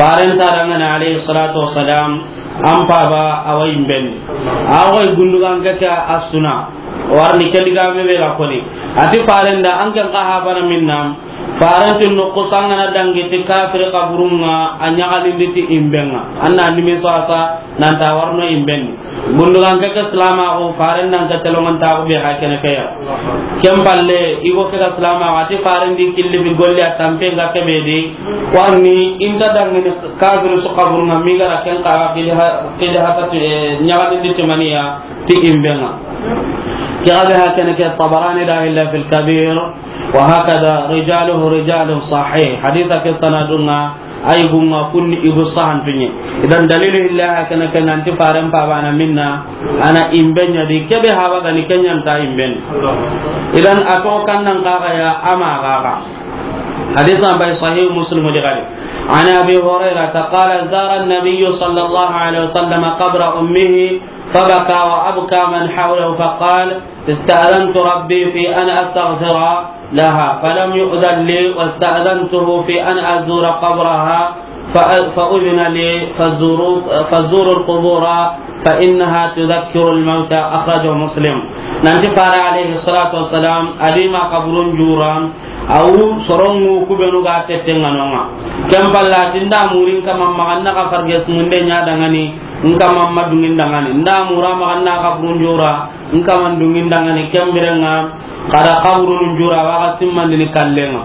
Faren ta dangani alaihi salatu wassalam, an paba awa imben. Awa gundugan ke a suna. Warni ke diga me be ga koni. Ati faren da an ke ka haba na minna. Faren ti no ko sangana dangi ti kafir kaburun ŋa, a ɲagalindi ti imben ŋa. Anna nimi sasa nan ta warno imben. Gundugan ke ke silama ko faren nan ke telongan ta ko be hakene ke ya. Ken palle i go ke silama ko ati faren di killi bi golle a tampe ŋa ke be di. Warni inta dangini kafir su kaburun ŋa mi gara ken ka kidi ha, kidi ha ta ti, eh, ɲagalindi ti maniya. Ti imben ŋa. Ke ga be hakene ke Tabarani da illa fil Kabir, wa hakada rijaluhu rijalu sahih. Hadisa ke sanadun ŋa, ay gun ŋa kunni i gu sahantunye. Idan dalilu illa hakene ke nanti faren paba na minna, ana imben ɲa di, kebe haba gani kenyan ta imben. Idan a to kannan ka ga ya ama ga ga. Hadisa bay Sahih Muslim di gadi. عن أبي هريرة قال: زار النبي صلى الله عليه وسلم قبر أمه فبكى وأبكى من حوله فقال: استأذنت ربي في أن أستغفر لها فلم يؤذن لي، واستأذنته في أن أزور قبرها فأ-، فأذن لي، فزوروا، فزوروا القبور فإنها تذكر الموتى. أخرجه مسلم. Nanti fare alayhi salatu wassalam, a di ma kaburun jura, awu sorongu kubenu ga tette ŋa no ŋa. Ken palla ti nda murin kama maxa na ka farge sumunde ɲa dangani, n kama ma dungin dangani. Nda mura maxa na kaburun jura, n kama dungin dangani. Ken biren ŋa, kada kaburun jura wa ga simmandini kallen ŋa.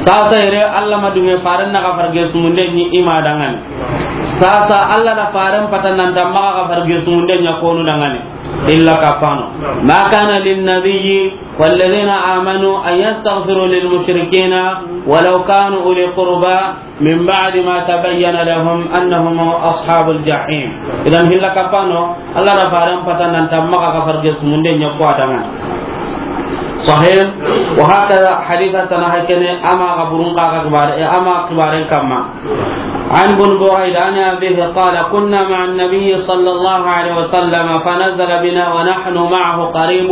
Sasa yere Alla ma dunge faren na ka farge sumunde ɲi i ma dangani. Sasa Alla da faren pata nan ta maxa ka farge sumunde ɲa konu dangani. Hilla kappano. ما كان للنبي والذين آمنوا أن يستغفروا للمشركين ولو كانوا أولي قربى من بعد ما تبين لهم أنهم أصحاب الجحيم. Idan hilla kappano, Allah da faran patan nan ta maxa kafar ge sumunde ɲa ko adanga. Sahih. Wa hakada haditha tana hakene ama kaburun ka ka kibare, ama kibaren kamma. عن بن بريدة عن أبيه قال: كنا مع النبي صلى الله عليه وسلم فنزل بنا ونحن معه قريب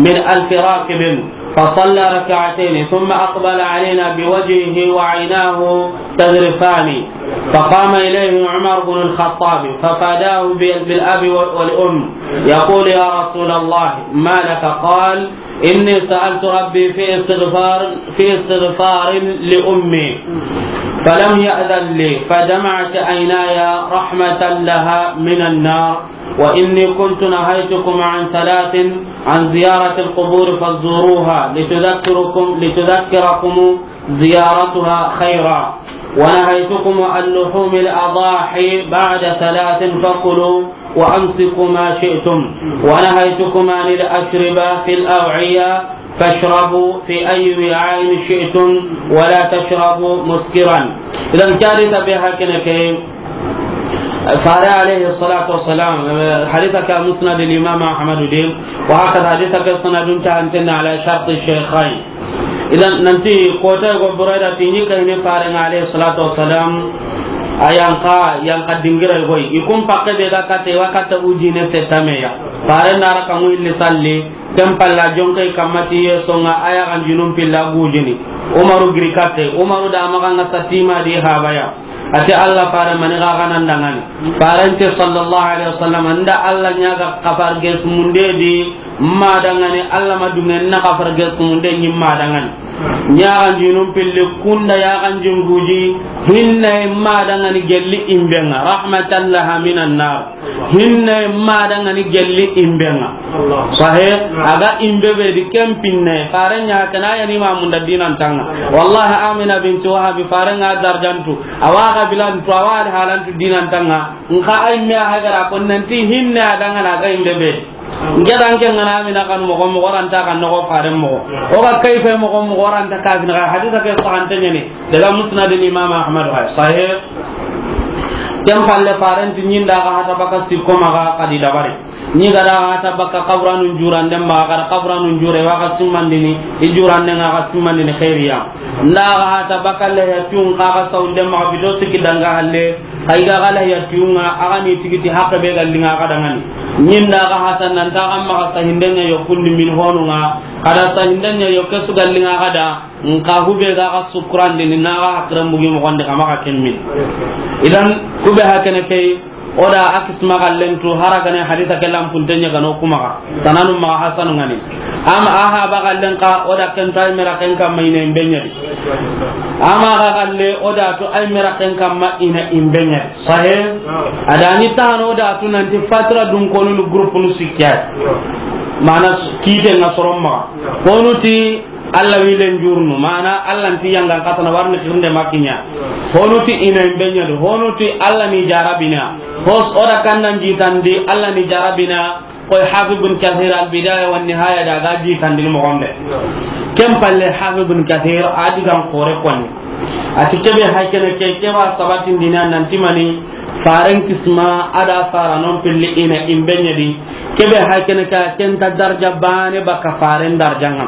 من ألف راكب، فصلى ركعتين ثم أقبل علينا بوجهه وعيناه تذرفان، فقام إليه عمر بن الخطاب ففاداه بال-، بالأب والأم يقول: يا رسول الله، ما لك؟ قال: إني سألت ربي في استغفار، في استغفار لأمي، فلم يأذن لي، فدمعت عيناي رحمة لها من النار، وإني كنت نهيتكم عن ثلاث، عن زيارة القبور فزوروها لتذكركم، لتذكركم زيارتها خيرا، ونهيتكم عن لحوم الأضاحي بعد ثلاث فكلوا وأمسكوا ما شئتم، ونهيتكم عن الأشربة في الأوعية فاشربوا في أي وعاء شئتم ولا تشربوا مسكرا. Idan ke hadisa be hakene ke, Fare alayhi salatu wassalam, eh, hadisa ke Musnad al-Imam Ahmad de, wa hakada hadisa ke sanadun ta antena ala shart al-shaykhayn. Idan nanti kota go Buraida ti ni kayne Fare alayhi salatu wassalam, a yanqa, yanqa dingira goy. I kun pakke be ga katte, wa katta ujine se tameya. Fare nara ka mu illi salli, ken palla jonke kamma ti ye songa aya kan junum pilla gujini. Umaru giri katte, Umaru da maxa nga satima di habaya. Ati Allah fare mani ga ganan dangani. Farante sallallahu alaihi wasallam nda Allah ɲaga kafar ges munde di ma dangani, Allah ma dungen na kafar ges munde ni ma dangani. Ɲagan jinum pilli kunda yagan jinguji hinne ma dangani gelli imbenga rahmatan laha minan nar. Hinne ma dangani gelli imbenga. Sahe, aga imbe be di kempinne, fare ɲa kana ya ni ma munda dinan tanga. Wallahi Amina binti Wahab fare nga darjantu, awa ga bilantu, awa halantu dinan tanga. Nka ay me hagara kon nanti hinne adanga na ga imbe be. Ngedan ke ngana Amina kan mo mo ranta kan no fare mo. O ga kayfe mo mo ranta ka bin hadisa ke sahante ne. Daga Musnad Imam Ahmad wa sahih. Ken palle farenti ɲinda ga hata baka sikko maga kadi dabari. Ni ga da ga hata baka kaburanu jurande maga, ga da kaburanu jure wa ga simmandini, i jurande nga ga simmandini khairiya. Nda ga hata baka le ya tun ka ga saunde maga bido siki danga halle, kay ga ga le ya tun nga aga ni tigiti hakke be ga linga ga dangani. Ɲinda ga hata nan ta ga maga sahindenya yo kundi min honu nga, kada sahindenya yo kesu ga linga ga da. Nka hube ga ga sukurandi ni na ga hakran bugi mo gonde kama ga kemmin. Idan hube hakene kay, oda akis magallen tu haragane hadisa ke lampunte ɲa gano kuma ga. Tananu ma hasanu ngani. Ama aha bagallen ka oda ken tay mera ken kamma ina imbenyadi. Ama ga galle oda tu ay mera ken kamma ina imbenyadi. Sahe. Adani tano oda tu nanti fatra dun konu groupe nu sikya. Mana kite nga soromma. Konu ti Allah wilen jurnu, mana Allah nti yangan katana warni kirnde makinya. Honu ti ina imbenyadu, honu ti Allah ni jarabina. Hos oda kannan jitandi Allah ni jarabina. Koy Hafiz bin Kathir al-Bidaya wa Nihaya da ga jitandi mo gombe. Ken palle Hafiz bin Kathir adigan kore koni. Ati kebe haykene ke keba sabatin dinan nan timani. Faren kisma ada sara non pilli ina imbenyadi. Kebe hakene ka kenta darja bane baka faren darjanga.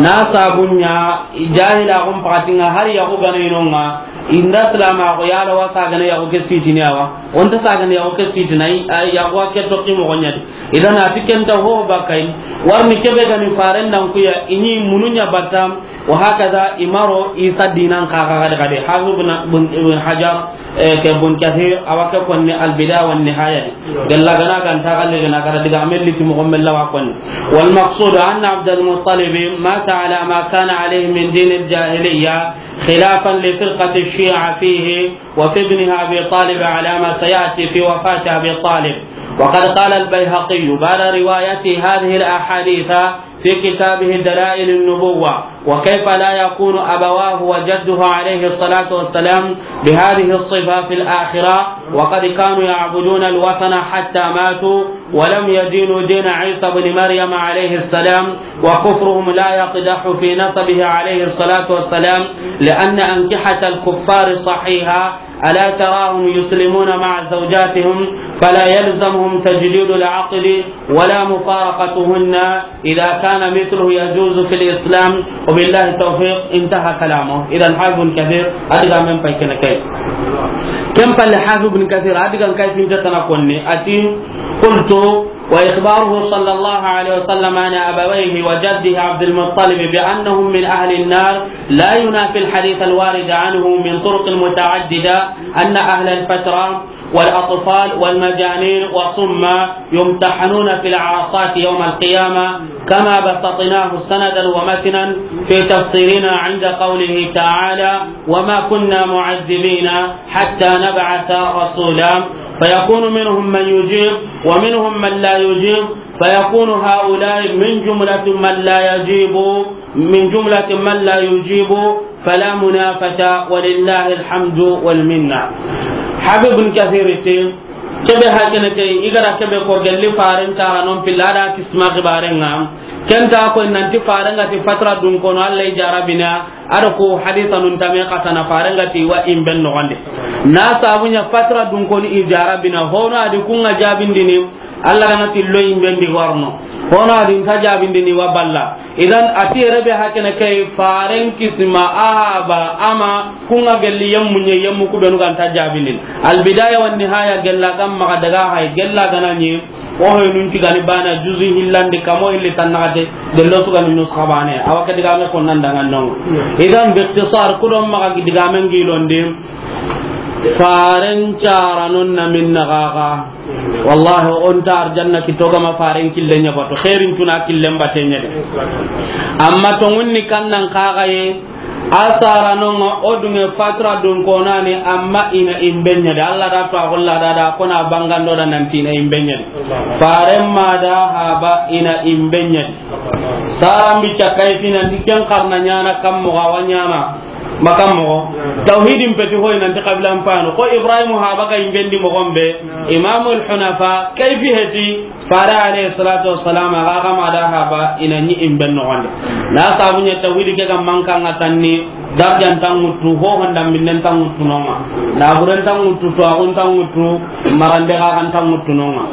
Na sabunya jahila gum pakatinga hari yaku gane inonga. Inda salama ko yala wasa gane yaku ke sitini awa. Onta sa gane yaku ke sitini ay yaku ke to kimo gonyadi. Idan ati kenta ho bakai. Warni kebe gani faren dan kuya ini mununya batam. Wa hakaza imaro isa dinan kaga gade gade. Hafiz ibn, ibn, ibn Hajar, eh, ke Ibn Kathir, awa ke konni Al-Bidaya wa Nihaya di. Gella gana ganta galle gana gara diga amelli ti mo mella wa konni. والمقصود أن عبد المطلب مات على ما كان عليه من دين الجاهلية خلافا لفرقة الشيعة فيه وفي ابنه أبي طالب على ما سيأتي في وفاة أبي طالب. وقد قال البيهقي بعد رواية هذه الأحاديث في كتابه دلائل النبوة، وكيف لا يكون أبواه وجده عليه الصلاة والسلام بهذه الصفة في الآخرة، وقد كانوا يعبدون الوثن حتى ماتوا، ولم يدينوا دين عيسى بن مريم عليه السلام، وكفرهم لا يقدح في نسبه عليه الصلاة والسلام، لأن أنكحة الكفار صحيحة، ألا تراهم يسلمون مع زوجاتهم، فلا يلزمهم تجديد العقد ولا مفارقتهن إذا كان مثله يجوز في الإسلام، وبالله التوفيق. انتهى كلامه. إذن حافظ ابن كثير، a diga men pay kene kay. Ken palle Hafiz ibn Kathir, a digan kay finte tana konni, a ti, قلت: وإخباره صلى الله عليه وسلم عن أبويه وجده عبد المطلب بأنهم من أهل النار لا ينافي الحديث الوارد عنه من طرق متعددة أن أهل الفترة والأطفال والمجانين والصم يمتحنون في العرصات يوم القيامة، كما بسطناه سندا ومتنا في تفسيرنا عند قوله تعالى: وما كنا معذبين حتى نبعث رسولا، فيكون منهم من يجيب ومنهم من لا يجيب، فيكون هؤلاء من جملة من لا يجيب، من جملة من لا يجيب، فلا منافاة، ولله الحمد والمنة. Hafiz ibn Kathir ti, kebe hakene ke, i ga ra kebe ko gelli faren tara non pilla da kisma gibaren ŋa. Ken ta ko nanti faren ga ti fatra dun kono Allah i jarabina, a do ko hadisa nun tame katana faren ga ti wa imben no gande. Na sabu ɲa fatra dun kono i jarabina, hono a di kun ŋa jabindini, Allah gana ti lo imbendi warno. Hono a di nta jabindini wa balla. Idan a ti yere be hakene kay faren kisma a haba ama kun ŋa gelli yemmu ɲe yemmu ku benu ganta jabindini. Al Bidaya wan Nihaya gella kam maga daga hay gella gana ɲi. O hoy nun tigani bana juzu hillandi kamo hilli tannagate dello tugani nuskha bane. Awa ke digame ko nan dangan non. Idan bi ikhtisar ku do maga digamen gilondi. Faren cara non na minna gaga. Wallahi, o nta arjanna kito gama faren kille ɲa bato, xeerin tuna killen bate ɲa de. Amma tongunni kannan kaga ye, a sara non o dunge fatra dun konani, amma ina imbe ɲa de. Allah da to a golla da da kona bangando da nanti ina imbe ɲa de. Faren ma da haba ina imbe ɲa de. Saran bi cakay fina ndi ken karna ɲana kam mo ga wa ɲana. Makan mogo. Tawhidin peti hoy nanti qabilan pano. Ko Ibrahim haba ga imbendi mogon be. Imamul Hunafa, kayfi heti. Fara alayhi salatu wassalam, aga kama da haba, ina ɲi imben no wande. Na sabu ɲa tawhidi ke ga manka nga tanni, darjan tangutu, ho honda minnen tangutu nonga. Na buren tangutu, to agun tangutu, marande ga kan tangutu nonga.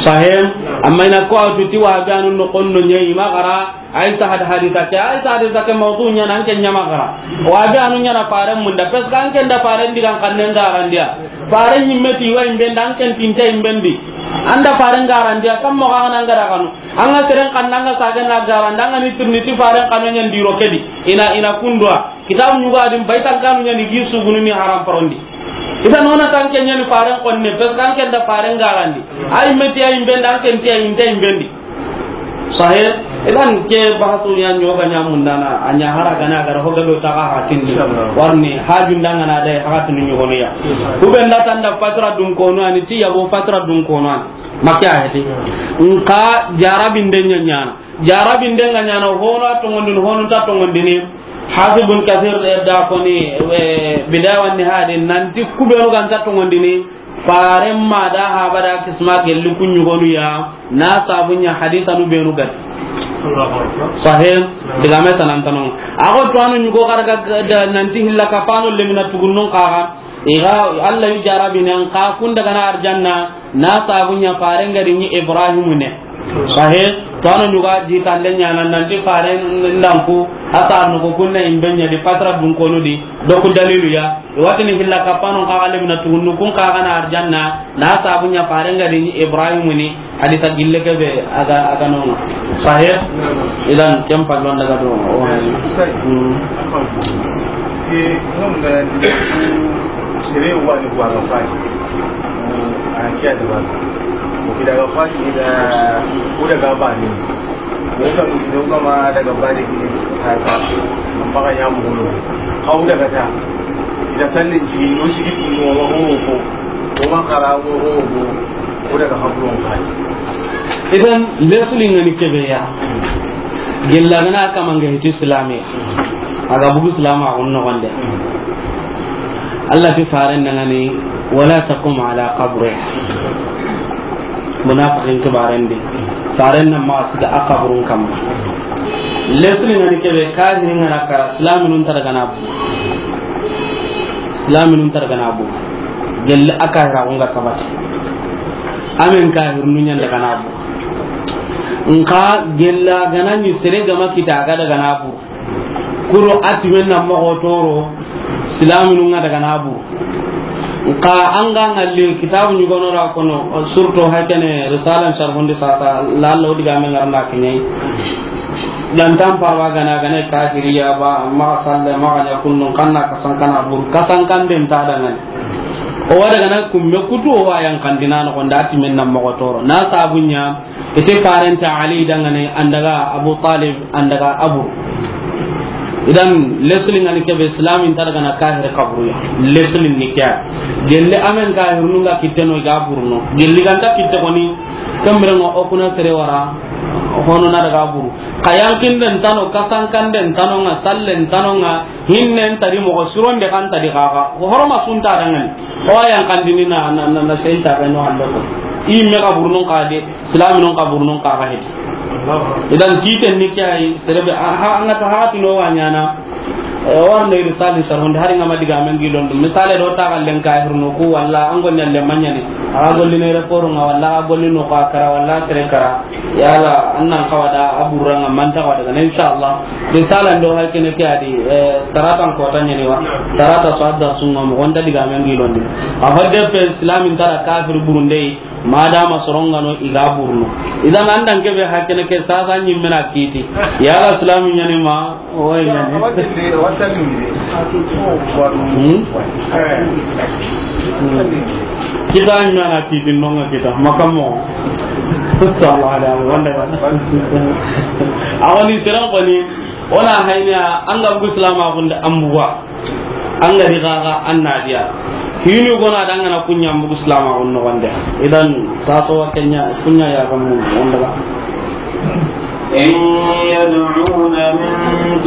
Sahem, amma ina ko atuti wa ganu no kondo ɲe ima gara, Aisha had hadisa ke, Aisha hadisa ke mawdu ɲana, an ke ɲama gara. Wa be anu ɲana faren munda, parce que an ke nda faren digan kannen garandiya. Faren ɲimme ti wa imben da, an ke tinte imbendi. Anda faren garandiya, kam mo ga nan gara kanu. An ga seren kan nan ga sagen na garandi, an ga ni tirni ti faren kanu ɲan diro kedi. Ina, ina kundwa. Kitabu ɲugo adin baytan kanu ɲani gi sugunu ni haram parondi. Ita nona tan ke ɲani faren konne, parce que an ke nda faren garandi. Ay meti ay imben da, an ke nti ay inte imbendi. Sahih. Idan ke bahasu ya ɲoga ɲa mundana, a ɲa hara gana gara ho gado ta ga hatindi. Inshallah. Warni hajun danga na dai haka tunu ɲogoniya. Inshallah. Ku be nda tanda fatra dun kono ani ti yabo fatra dun kono ani. Makya heti. Nka jarabinde ɲa ɲana. Jarabinde nga ɲana hono a tongondini, hono ta tongondini. Hafiz ibn Kathir da koni, e, Bidaya wan Nihaya nanti ku benu ganta tongondini. Faren ma da haba da kisma gelli ku ɲugonu ya, na sabu ɲa hadisa nu benu gati. Sahih, digame tanantanon. Ago to anu ɲugo karga da nanti hilla kapano lemina tugunnun kaga. Iga Allah yu jarabi nan ka kun daga na arjanna, na sabu ɲa faren gari ni Ibrahim ne. Sahih, to anu ɲuga ji tande ɲana nanti faren ndanku, asa no ko kunna imbe ɲa di fatra dun kono di, do ku dalilu ya. Watini hilla kapano ka galle mina tugunnu kun ka gana arjanna, na sabu ɲa faren gari ni Ibrahim ni, hadisa gille ke be aga, aga nonga. Sahih? Idan ken pallon daga do. O. Sai. Hmm. Ke non da sere wani wa ga fai. A kiya da ba. Ko kida ga fai da ko daga ba ni. Wo ka mu do kama daga bari ki ta ta. Amma ga ya mu lo. Hau daga ta. Ida sallin ci, no sigi ci, no ma ho ko. O ma kara ho ko. Ko daga habron kai. Idan lesson ngani kebe ya. Gella gana kama nga hiti silame, a ga bugu silama a gonno gonde. Allah ti faren dangani, "Wala taqum ala qabri." Munafiqin kibaren di. Faren na ma siga a kaburun kamma. Lesli ngani kebe, kahirin ngana kara, silaminun targana bu. Silaminun targana bu. Gella a kahira gonga kabati. Amen kahirnu nyanda gana bu. Nka gella gana ni sere gama kita ga daga na bu. Kuro ati men na mogo toro, silaminu nga daga na bu. Nka an ga ngalle kitabu ɲugono ra kono, surtout hakene risalan sharhundi sasa, lallo diga men ngarna kinyai. Dan tan pa ba gana gana kafiriya ba, ma salle ma ganya kunnun kanna kasan kana bu, kasan kan den ta dangan. O wa daga na kumme kutu o wa yan kandina no gonda ati men na mogo toro. Na sabunya, ite farenta Ali dangane, andaga Abu Talib, andaga Abu. Idan, leslin ngani kebe, Islamin targana kahir kaburu ya. Leslin ni kya? Gelli amen kahir nunga kiteno ga burno. Gelli ganta kitte koni, kambirango okuna sere wara, hono na daga buru. Kayankin den tano, kasankan den tano nga, sallen tano nga, hinnen tari mogo suron de kan tadi kaka. Ko horoma sunta dangane. O wa yan kandini na, na, na, na sey ta ga no ando ko. I me ka burnon ka de, Islaminun ka burnon ka ga hedi. Idan titen ni kya yi, serebe, a, ha, an ga ta ha tino wa nyana. E, war ne risali saronde hari ngama diga men gilon dum. Misale do ta kallen ka hirno ku walla an gon nyalle manyane. A ga golli ne report nga walla a golli no ka kara walla sere kara. Yala, an nan kawada a buranga manta kawada gana, inshallah. Risala ndo hay kene ke adi, eh, taratan ko tanyani wa. Tarata so adda sunga mo gonda diga men gilondi. A fadde pe Islamin tara kafir burunde, madama sorongano iga burno. Idan andan kebe hakene ke sasa nyimmena kiti. Yala Islamin nyani ma, Oy, yani. Hmm? Hmm. Kita ɲana kiti nonga kita, makamo. Sallallahu alaihi wa sallam. Awani siran koni, ona hayna, an ga bugu Islama gunda an buga. An ga di gaga an nadiya. Hinu gona dangana kunya an bugu Islama gunno gonde. Idan, saso wa kenya, kunya ya gamu, wanda ba. إن يدعون من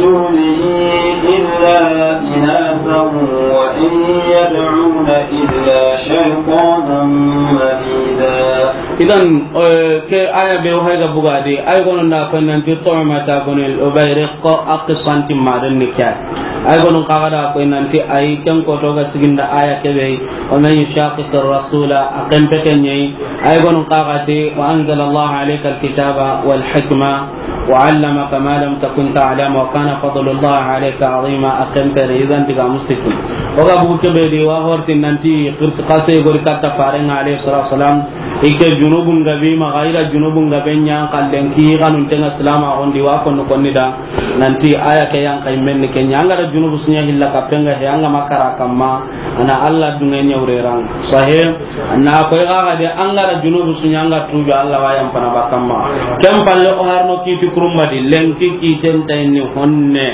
دونه إلا إناثا وإن يدعون إلا شيطانا مريدا. Idan, eh, ke aya be o hayga bugadi, ay gono na ko nanti Tu'mata bun al-Ubayriq, a qisanti madan ni kya. Ay gono kaga da ko nanti ay ken ko to ga siginda aya ke be, ومن يشاقق الرسول, a ken pe ken yi. Ay gono kaga ti, وأنزل الله عليك الكتاب والحكمة وعلمك ما لم تكن تعلم وكان فضل الله عليك عظيما, a ken pe re, idan diga musikin. O ga bugu ke be di wa horti nanti qirti qase gori katta farenga alayhi salatu wasalam, ike junubun gabi ma gaira junubun gabe nya kallen ki ganun tenga Islama gondi wa konno konni da, nanti aya ke yan kay men ke nya, an ga da junubu sunya hilla ka penga he, an ga makara kamma, ana Allah dunga nya ureran. Sahih. Na koy ga ga de an ga da junubu sunya, an ga tuju Allah wa yan pana bakamma. Kem palle o harno kiti kurumba di, lenki kiten tayni honne.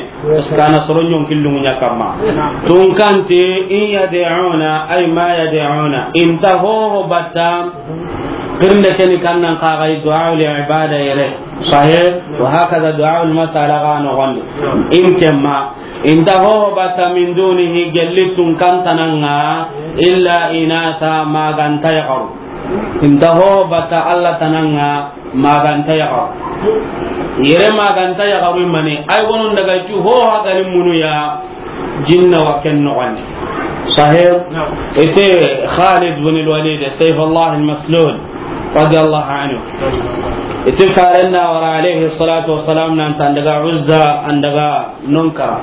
Kana soro nyon killu nya kamma. Tun kante, in yad'una, ay ma yad'una. Inta ho ho batta, qirnde keni kannan kaga du'a li ibada yere. Sahih. Wa hakaza du'a al mas'ala ga no gondi. In kemma. Inta ho ho batta min dunihi, gelli tun kantananga, illa inatha, maganta yaqaru. Inta ho ho batta Allah tananga, maganta yaqaru. Yere maganta yaqaru mani, ay wonon daga cu ho ha gari munu ya, jinna wa ken no wani. Sahih. Ite Khalid bin al-Walid, Sayfullah al-Maslul, radiyallahu anhu. Ite farenna wara alayhi salatu wassalam nan tan daga Uzza, an daga non kara.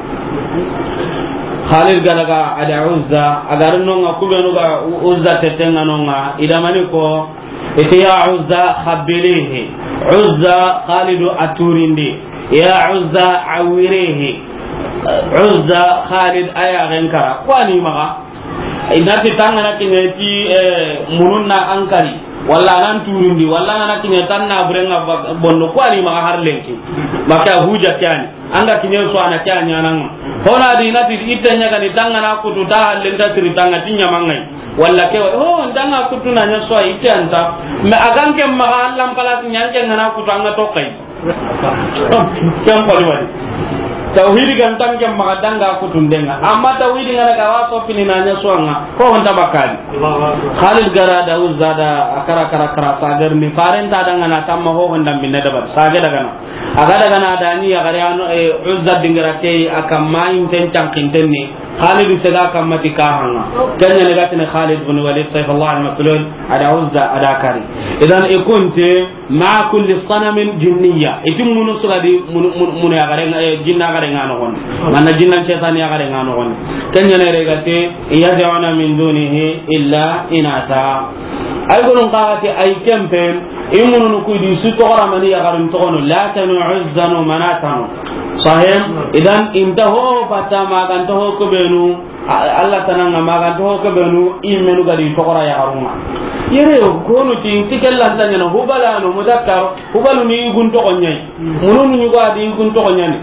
Khalid ga daga ada Uzza, a ga ri nonga kubenu ga U-, Uzza tetenga nonga, idamani ko, ite ya Uzza khabbilihi. Uzza Khalidu a turindi. Ya Uzza awirihi. Uzza Khalid aya gen kara. Kwani maga. Inati tangana kinyeti, eh, mununna ankari. Walla nan turindi. Walla ngana kinyeti tanna burenga ba-, bondo. Kwani maga har lenki. Maka huja kyani. Anga kiɲe su a na ke a ɲaana ŋa. Hona di na ti itte ɲa ga ni tangana kutu ta hallen ta siri tanga ti ɲaama ŋa yi. Walla ke wa, ho, n tanga kutu na ɲa su a itte anta. Mais a ga n ke maxa Alla n place ɲa n ke ŋa na kutu anga to kay. Ken xoni wadi. Tawhidi ga nta ken maxa danga kutundenga. Amma tawhidi ngana ga wa sopini na ɲa suwanga. Ko honta bakali. Khalid ga ra da Uzza da a kara kara kara sagar ni faren ta danga na tamma ho honda minne da bar. Sagar daga na. A ga daga na da ni ya gari ano, e, Uzza dingira ke a kamma inten cankinten ni. Khalid sega kamma ti kahanga. Kenya ne gatine Khalid bin Walid Saifullah al-Maslul a da Uzza a da kari. Idan ikunte مع كل صنم جنية. Iti munu sugadi munu, munu, munu ya gare, eh, jinna gare nga no gon. Manna jinna shaytan ya gare nga no gon. Kenya ne regate, يدعون من دونه إلا إناثا. Ay gonun kagati ay kempe, i mununu kudi su togora mani ya garin togono, Latan, Uzzan, Manatan. Sahih? Idan inta ho bata maganta ho kubenu, A-, Allah tananga maganta ho ke benu i menu gadi togora ya garunga. Yere yo, konu ti, ti kellan tanyana, Hubalano, mudakkar, Hubalu ni gun togo ɲai. Mununu ɲugo adi gun togo ɲani.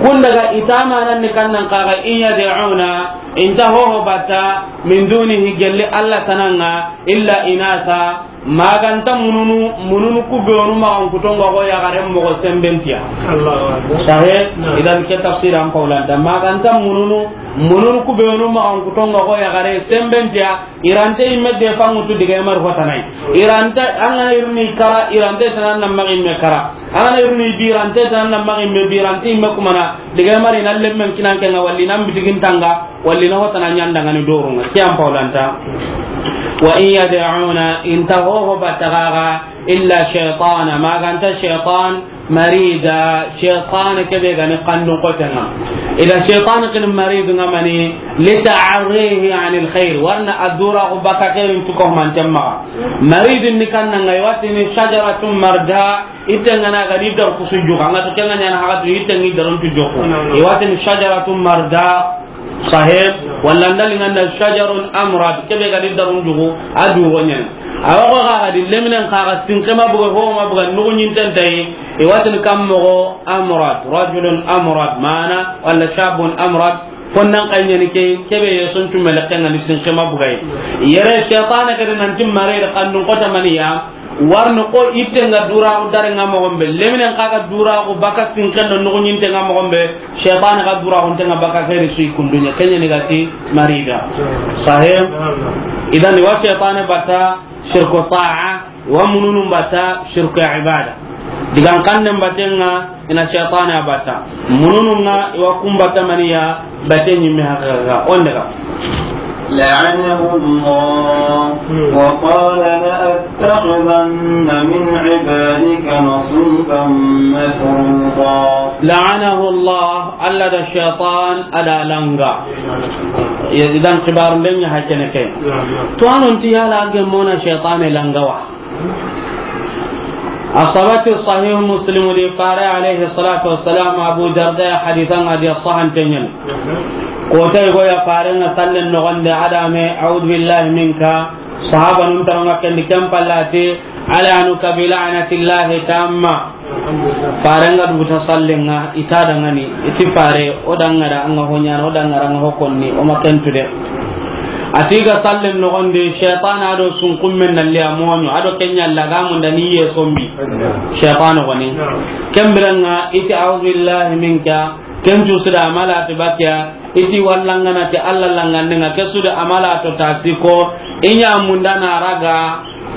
Kun daga itamanan ni kannan kaga, in yad'una, inta hoho bata, min dunihi gelli Allah tananga, illa inasa, Maganta mununu, mununu kubenu magan kutonga go yagaren mogo sembentiya. Allahu Akbar. Sahe, idan ke tafsir an paulanta. Maganta mununu, mununu kubenu magan kutonga go yagare sembentiya. Irante imme de fangutu diga emar hotanai. Irante angana irni kara, irante tanan na magi imme kara. Angana irni birante tanan na magi imme birante imme kumana. Diga emar inan lemmen kinan kenga walli nan bitigin tanga. Walli na hotana ɲandangani dorunga. Ke an paulanta. Wa in yad'una, inta hoho batagaga, illa shaytana, maganta shaytan, marida, shaytan kebe gani kandun kotenga. Ida shaytan kin marid nga mani, lita'arrihi anil khair. Warna adura ko baka khairin tuko mantemma. Marid ni kannanga, iwatini shajaratun marda, itengana gadi dar kusujuka. Nga to kenga nyana hagatu itengi darun tujuku. Iwatini shajaratun marda, Sahib, walla ndali nganda shajarun amrad, kebe gadi darun jugu, a du wonyen. Awa ko ga gadi leminen kaga sinke ma buga ho ma buga nugu nyinten tayi, iwatin kam mogo amrad, rajulun amrad, mana, walla shabun amrad, fonnan kanyani ke, kebe yeson tumele kenga ni sinke ma buga yi. Yere shaytan gadi nanti mare da kannun kota maniya, Warno ko itte nga dura dare nga mogon be, leminen kaga dura ko baka sinken do nugunyinte nga mogon be, shaytan ga dura ko tenga baka khairi sui kundunya, kenya ni gati marida. Sahih? Idan wa shaytan bata shirku ta'a, wa mununun bata shirku ibada. Digan kannen batenga ina shaytan bata. Mununun nga wa kumbata maniya, Bate ɲimme haqiqa, on daga. لعنه الله وقال لأتخذن من عبادك نصيبا مفروضا. لعنه الله, Alla da shaytan a da langa. Ya, idan xibaarun den ɲa hakene ke. To anon ti yala gemona shaytan langa wa. A sabati Sahih Muslim di, Fare alayhi salatu wassalam, Abu Darda hadithan adi sahan tenyen. Ko tay go ya Fare nga sallen no gonde adame, "A'udhu billahi minka." Sahaba nun taronga kendi kempallati, "Al'anuka bi la'natillahi tamma." Fare nga duguta sallen nga, ita dangani, iti Fare, o dangara anga honyana, o dangara anga hokonni, o makentu de. Ati ga sallen nogondi, shaytan ado sunkummen nalli a moño, ado kenya laga munda ni ye sombi. Shaytan goni. Kembiranga iti, "A'udhu billahi minka." Kencu sida amala ti bakiya, iti wallangana ti Alla langandenga, ke suda amala to tasiko, inya munda na raga,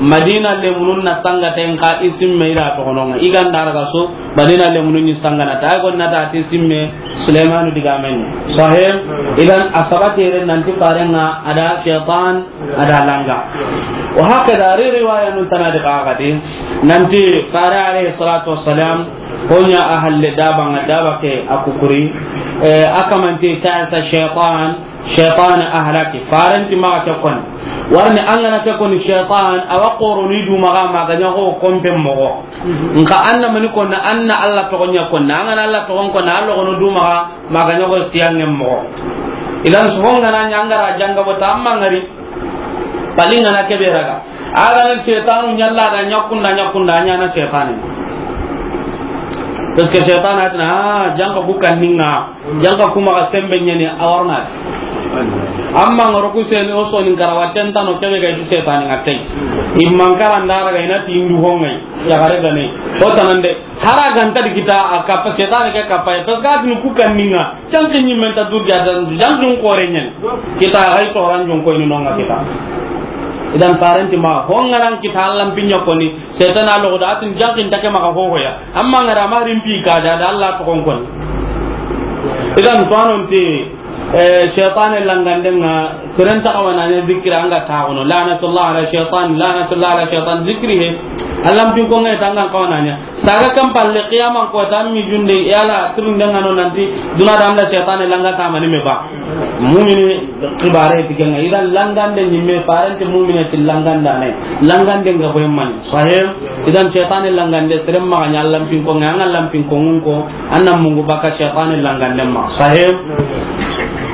Madina lemunun na sanga ten ka isimme ira to gononga. Iganda raga so, Madina lemunun ni sanga na ta, ay gonna ta ti simme Sulaimanu digamen. Sahih, idan a sabati ren nanti Fare nga ada shaytan, ada langa. Wa hakada ri riwaya nun tana di kagadi, nanti Fare alayhi salatu wassalam, honya ahalle daba nga daba ke akukuri, eh, akamanti ta'sa shaytan, Shaytan a halaki, Faren ti maxa ke koni. Warni angana ke koni shaytan, awa koroni du maxa maga ɲaxo kompe moxo. Nka anna mani konna, anna Alla toxon ɲa konna. Angana Alla toxon konna, Alla kono du maxa maga ɲaxo siyangen moxo. Idan soxon gana ɲa angara janga bota amma ngari. Pali ngana kebe raga. Agana shaytanu ɲalla da ɲakunda, ɲakunda, a ɲana shaytani. Parce que shaytan atina, ah, janga ku kanninga. Janga kuma ga sembe ɲani a warna. Amma ngaro ku seni o soni ngara waten tano kebe ga ju setani ngatai. Imman karanda raga ina ti indu hongai. Ya gare gane. O tanande. Hara ganta di kita a kappa, setane ke kappa ya, parce que a tini ku kanninga, janki ɲimmen ta durja dan, janki n kore ɲen. Kita ay toran jon koyni nonga kita. Idan parenti ma, hongaran kita Allan pinya koni, setana logo da a tini janki n take maka hohoya. Amma ngara ma rimpi ka da, da Allah to kon koni. Idan fanon te, Eh, shaytane langandenga, seren ta kawananya zikira anga taxuno. Lanatullah ala shaytan, lanatullah ala shaytan, zikiri he. Allan pin ko ngai tangan kawananya. Saga kan palle qiyaman ko tan mi junde yala turundenga no nanti duna da anda shaytane langa kamani me ba. Mumini kibare tikenga. Idan langande ni me parenti mumini ti langanda ne. Langandenga ko man. Sahih. Idan shaytane langande seren maganya Allan pin ko ngai, anga Allan pin ko ngun ko. Anna mungu baka shaytane langande ma. Sahih.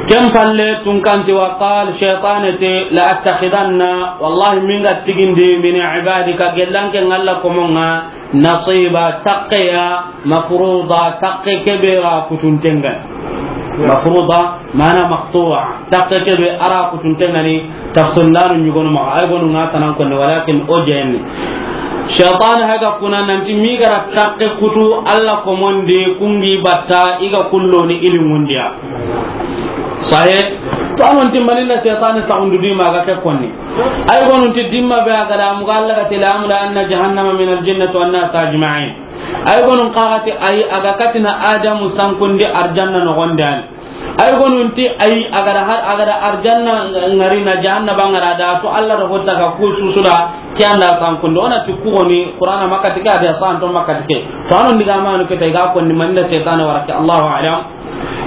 Ken palle tunkanti wa qal shaytane te la attakhidanna, wallahi minga tigindi min ibadika gellanke ngalla komonga nasiba taqqiya mafruda taqqe kebe ra kutuntenga. Mafruda mana maqtu'a taqqe kebe ara kutuntengani. Tafsirlanu ɲugonu maxa, ay gonu nga tanan konne, walakin o jeyenne. Shaytan haga kuna nanti mi gara takke kutu Alla komonde kungi batta iga kulloni ili mundiya. Sahe, to anon timmani na shaytan ta undu di maga ke konni. Ay gonu ti dimma be aga da muga Alla ga tilamu la anna jahannama min al jinnati wan nas ajma'in. Ay gonu qagati ay aga katina Adamu sankundi arjanna no gonde ani. Ay gonunti ay agada har agada arjanna ngari na jahannaba ngara da to Alla do hotta ga ku susuda kiyanda sankundo ona ti ku goni Qur'ana makatike ade santo makatike to anon diga manu ke tay ga konni manne shaytan warake Allahu a'lam.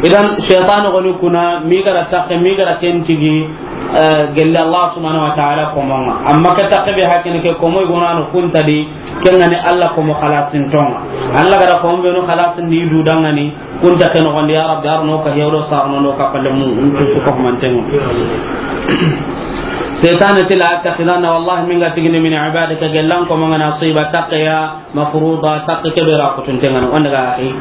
Idan shaytan goni kuna mi gara takke mi gara kentigi, eh, gelle Allah subhanahu wa ta'ala komonga amma ke takke be hakene ke komoy gonano kuntadi. Kengani Alla komo xalasintonga. Alla gara komo benu xalasindi du dangani. Kunta ke noxondi ya Rabbi arno ka hewdo sarno no ka palle mu ntu su ko mantengo. Shaytan ti la attakhidanna wallahi minga tigini min ibadika gellan komongana nasiba taqqiya mafruda taqqiya kebe ra kutuntengana wanda ga akhi.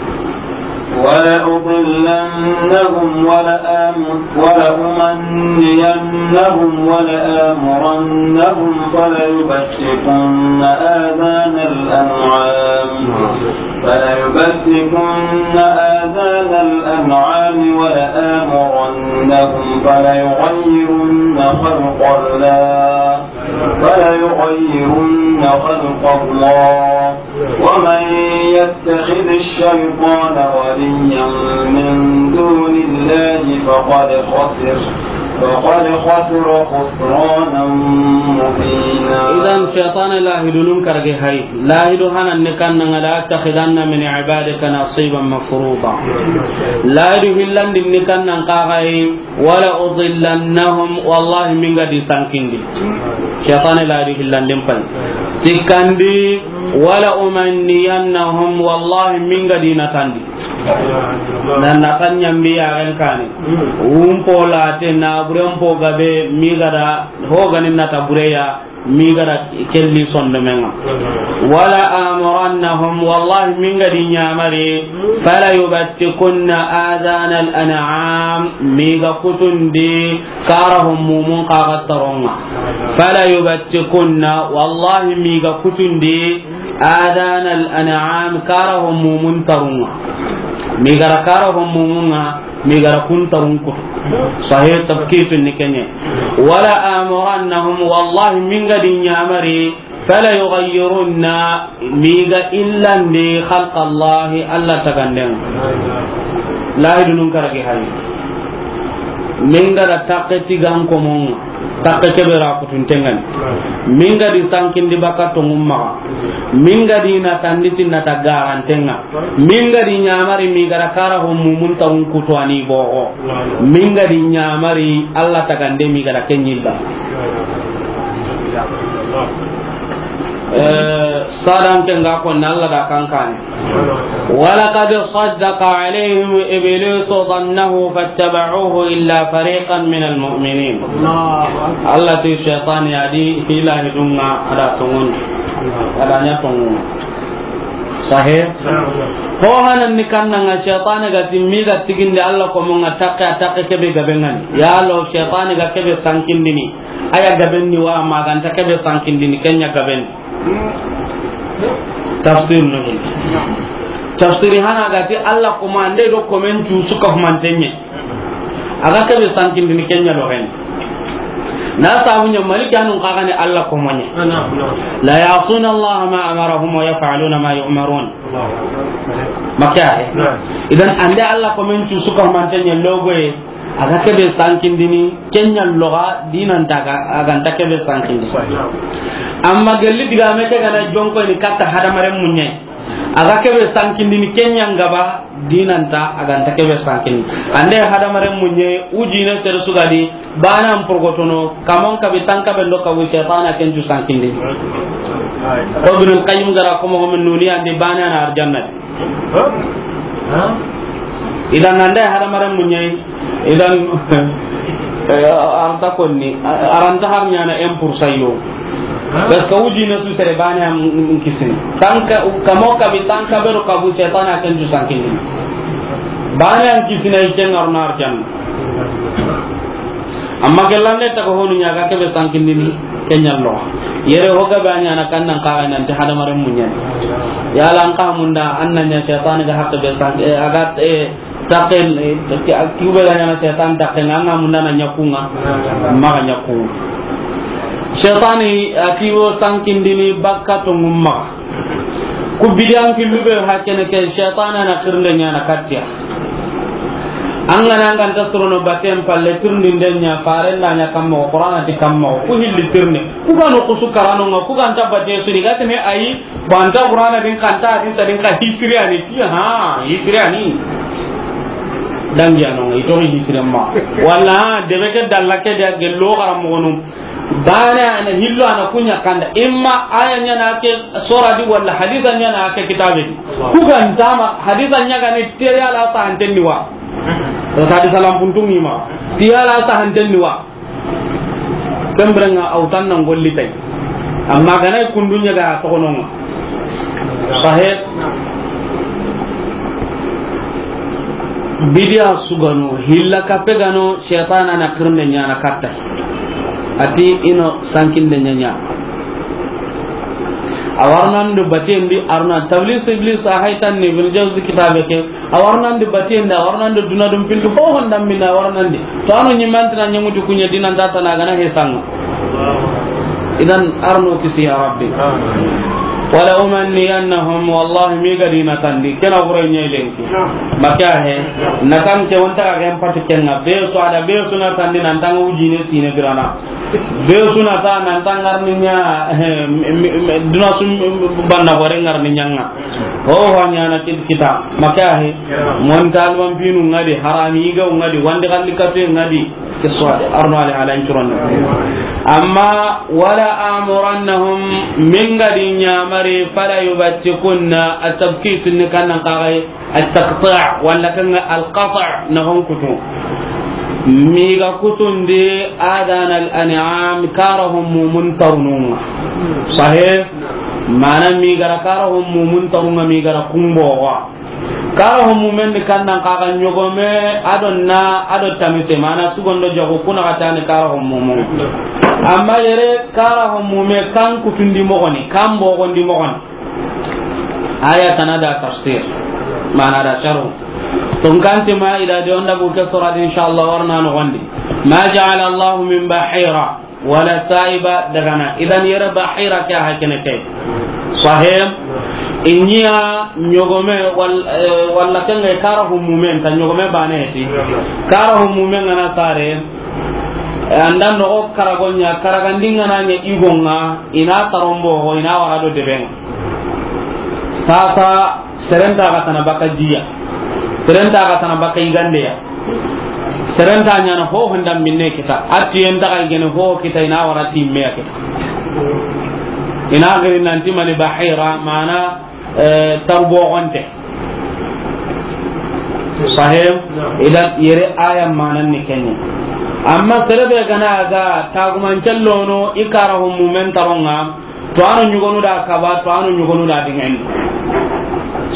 ولأضلنهم ولآم-، ولأمنينهم ولآمرنهم فليبتكن آذان الأنعام. فليبتكن آذان الأنعام ولآمرنهم فليغيرن خلق الله. فليغيرن خلق الله. ومن يتخذ الشيطان وليا من دون الله فقد خسر، فقد خسر خسرانا مبينا. Idan shaytan lahidunun karage hay. Lahidu hanan ne kannanga la attakhidanna min ibadika nasiban mafruda. Lahidu hillandin ni kannan kagai. Wala udillannahum, wallahi minga di sankindi. Shaytan la di hillandin pay. Tikandi, wala umanniyannahum, wallahi minga di natandi. Nan natan nyambi yaren kani. Umpo late na buren po gabe migada hogani nata bureya. Migara kelli sondomenga. Wala amurannahum, wallahi minga di nyamari. Fala yubattikunna adana al an'am, miga kutundi kara hom mumun kaga taronga. Fala yubattikunna, wallahi miga kutundi adana al an'am, kara hom mumun tarunga. Migara kara hom mumunga. Migara kuntarun kutu. Sahih tabkitu ni kenye. Wala amurannahum, wallahi minga di nyamari. Fala yughayyirunna, miga illandi khalqa Allahi, Alla tagandenga. Lahidunun karagi hari. Minga da takke tigan komonga. Takke kebe ra kutuntengani. Minga di sankindi baka tongum maga. Minga di na tanditi na ta garantenga. Minga di nyamari migara kara ho mumun ta un kutu ani bogo. Minga di nyamari Alla tagande migara kenyilla. Eh, sadan ke nga ko na Alla da kankani. Walaqad saddaqa alayhim iblisu dhannahu fattaba'uhu illa fariqan minal mu'minin. Alla ti shaytan ya di hila hidunga ada tongun. Ada nya tongun. Sahe? Ho hanan ni kannanga shaytan ga timmi ga tiginde Alla ko mo nga takke, takke kebe gabengan. Ya lo shaytan ga kebe sankindini. Aya gabenni wa maganta kebe sankindini kenya gaben. Tafsir no. Tafsiri hana ga ti Alla komande do komen cu su ka humantenye. A ga kebe sankindini kenya do hen. Na sabu nya maliki anun ka gane Alla komonye. La ya'suna Allah ma amarahum wa yaf'aluna ma yu'marun. Maka he. Idan ande Alla komen cu su ka humantenye logoye. A ga kebe sankindini, kenya loga dinanta ga, a ga nta kebe sankindi. Amma gelli diga me ke gana jonko ni katta hadamaren munye. A ga kebe sankindini, kenya ngaba dinanta, a ga nta kebe sankindi. Ande hadamaren munye, ujine sere sugadi, bana am porgotono, kamon kabi tanka bendo kabu setana kencu sankindi. Ko Ibnul Qayyim gara ko mo men nuni ande bana na arjanna. Idan nanda hadamaren munye, idan, eh, aranta konni, aranta har nyana un pour cent yo. Parce que ujine su sere bane am kisini. Tanka, kamo kabi tanka bero kabu setana kencu sankini. Bane am kisina ike ngaruna arjanna. Amma gellande ta ko honu nya ga kebe sankindini, kenya lo. Yere ho ga ba nya na kannan ka ga nan ti hadamaren munye. Yala an ka munda annan nya setani ga hakka be sank, eh, a ga, eh, taken, eh, ki, ki be ga nya na setan taken, an ga munda na nyakunga, ma ga nyakunga. Setani a kiwo sankindini bakka to ngumma. Ku bidiyan killu be hakene ke setana na kirnde nya na kattiya. An ga na an ga nta sorono baten palle tirindinde ɲa, faren da ɲa kamma, Qur'ana ti kamma, ku hilli tirindi. Ku ga no kusu karano ŋa, ku ga nta bate suni, ga teme ayi, banta Qur'ana din kanta hadisa din ka hisiri ani, ti ha, hisiri ani. Dangi ano ŋa, ito hisiri ma. Wala, debe ke dalla ke de gello garam mo no. Bane ana hillo ana kunya kanda. Imma aya ɲa na ke sora di wala hadisa ɲa na ke kitabe di. Ku ga nta ma hadisa ɲa ga ni tere ala sa hanten ni wa. To hadisa lampuntun ni ma. Ti ala sa hanten ni wa. Kembrenga autan nan golli tay. Amma ga na kundunya ga to kono ŋa. Sahe. Bidiya sugano, hilla kape gano, shaytana na kirnde ɲa na katta. Ati ino sankinde ɲa ɲa. A warnando batendi, arna tablis iblis a haytan ni Ibn Jawzi kitabe ke. A warnandi batendi, a warnando duna dum pindu ho honda minna a warnandi. To ano ɲimantina ɲamuti kunya dinan tata na gana he sanga. Idan arno kisi ya Rabbi. Wala umanniyannahum, wallahi mi ga dina tandi, kena gure ɲe lenki. Maka he, na kan ke wonta ga gen pati kenga, be so ada be so na tandi nan tanga ujine sine birana. Be su na ta nan ta ngarni ɲa, eh, mi, mi, mi, duna su banna gore ngarni ɲanga. Ho ho ɲa na kit-, kita. Maka he. Mon talban pinu ŋa di, harami ga ŋa di, wandi kalli katu ŋa di. Kiswa de, arno ale ala incuron. Amma wala amurannahum, min ga di ɲamari, fala yubattikunna, atabkit ni kannan kagai. At-taqti' wala kan al-qati' na hon kutu. Mi ga kutundi adana al-an'am, karahum mumun tarununga. Sahih? Mana mi ga ra karahum mumun tarunga, mi ga ra kumbo wa. Karahum mumen ni kannan kaga ɲogome, adonna, ado tamise, mana sugondo jogo kuna katani karahum mumun. Amma yere karahum mume kan kutundi mogoni, kan bogondi mogoni. Aya tana da tafsir, mana da sharu. Tun kanti ma ila de onda bu ke sura di, inshallah, warna no gondi. Ma ja'ala Allah min bahira wala sa'iba dagana. Idan yere bahira ke hakene ke. Sahih? Inya ɲogome wal-, eh, wala kanga karahum mumen, ta ɲogome bane ti. Karahum mumen ngana sare. Anda nogo karagonya, karagandinga na nya igonga, ina tarombo ho, ina wara do deben. Sasa, serenta ga tana baka jiya. Serenta ga tana baka igandeya. Serenta ɲa na ho honda minne kita. Ati enta ga igene ho kita, ina wara ti meya kita. Ina gari nanti mani bahira, mana, eh, tarbo gonte. Sahih? Idan yere aya manan ni kenye. Amma serebe gana ga taguman cellono i karahum mumen taronga, to ano ɲugonu da kaba, to ano ɲugonu da dingeni.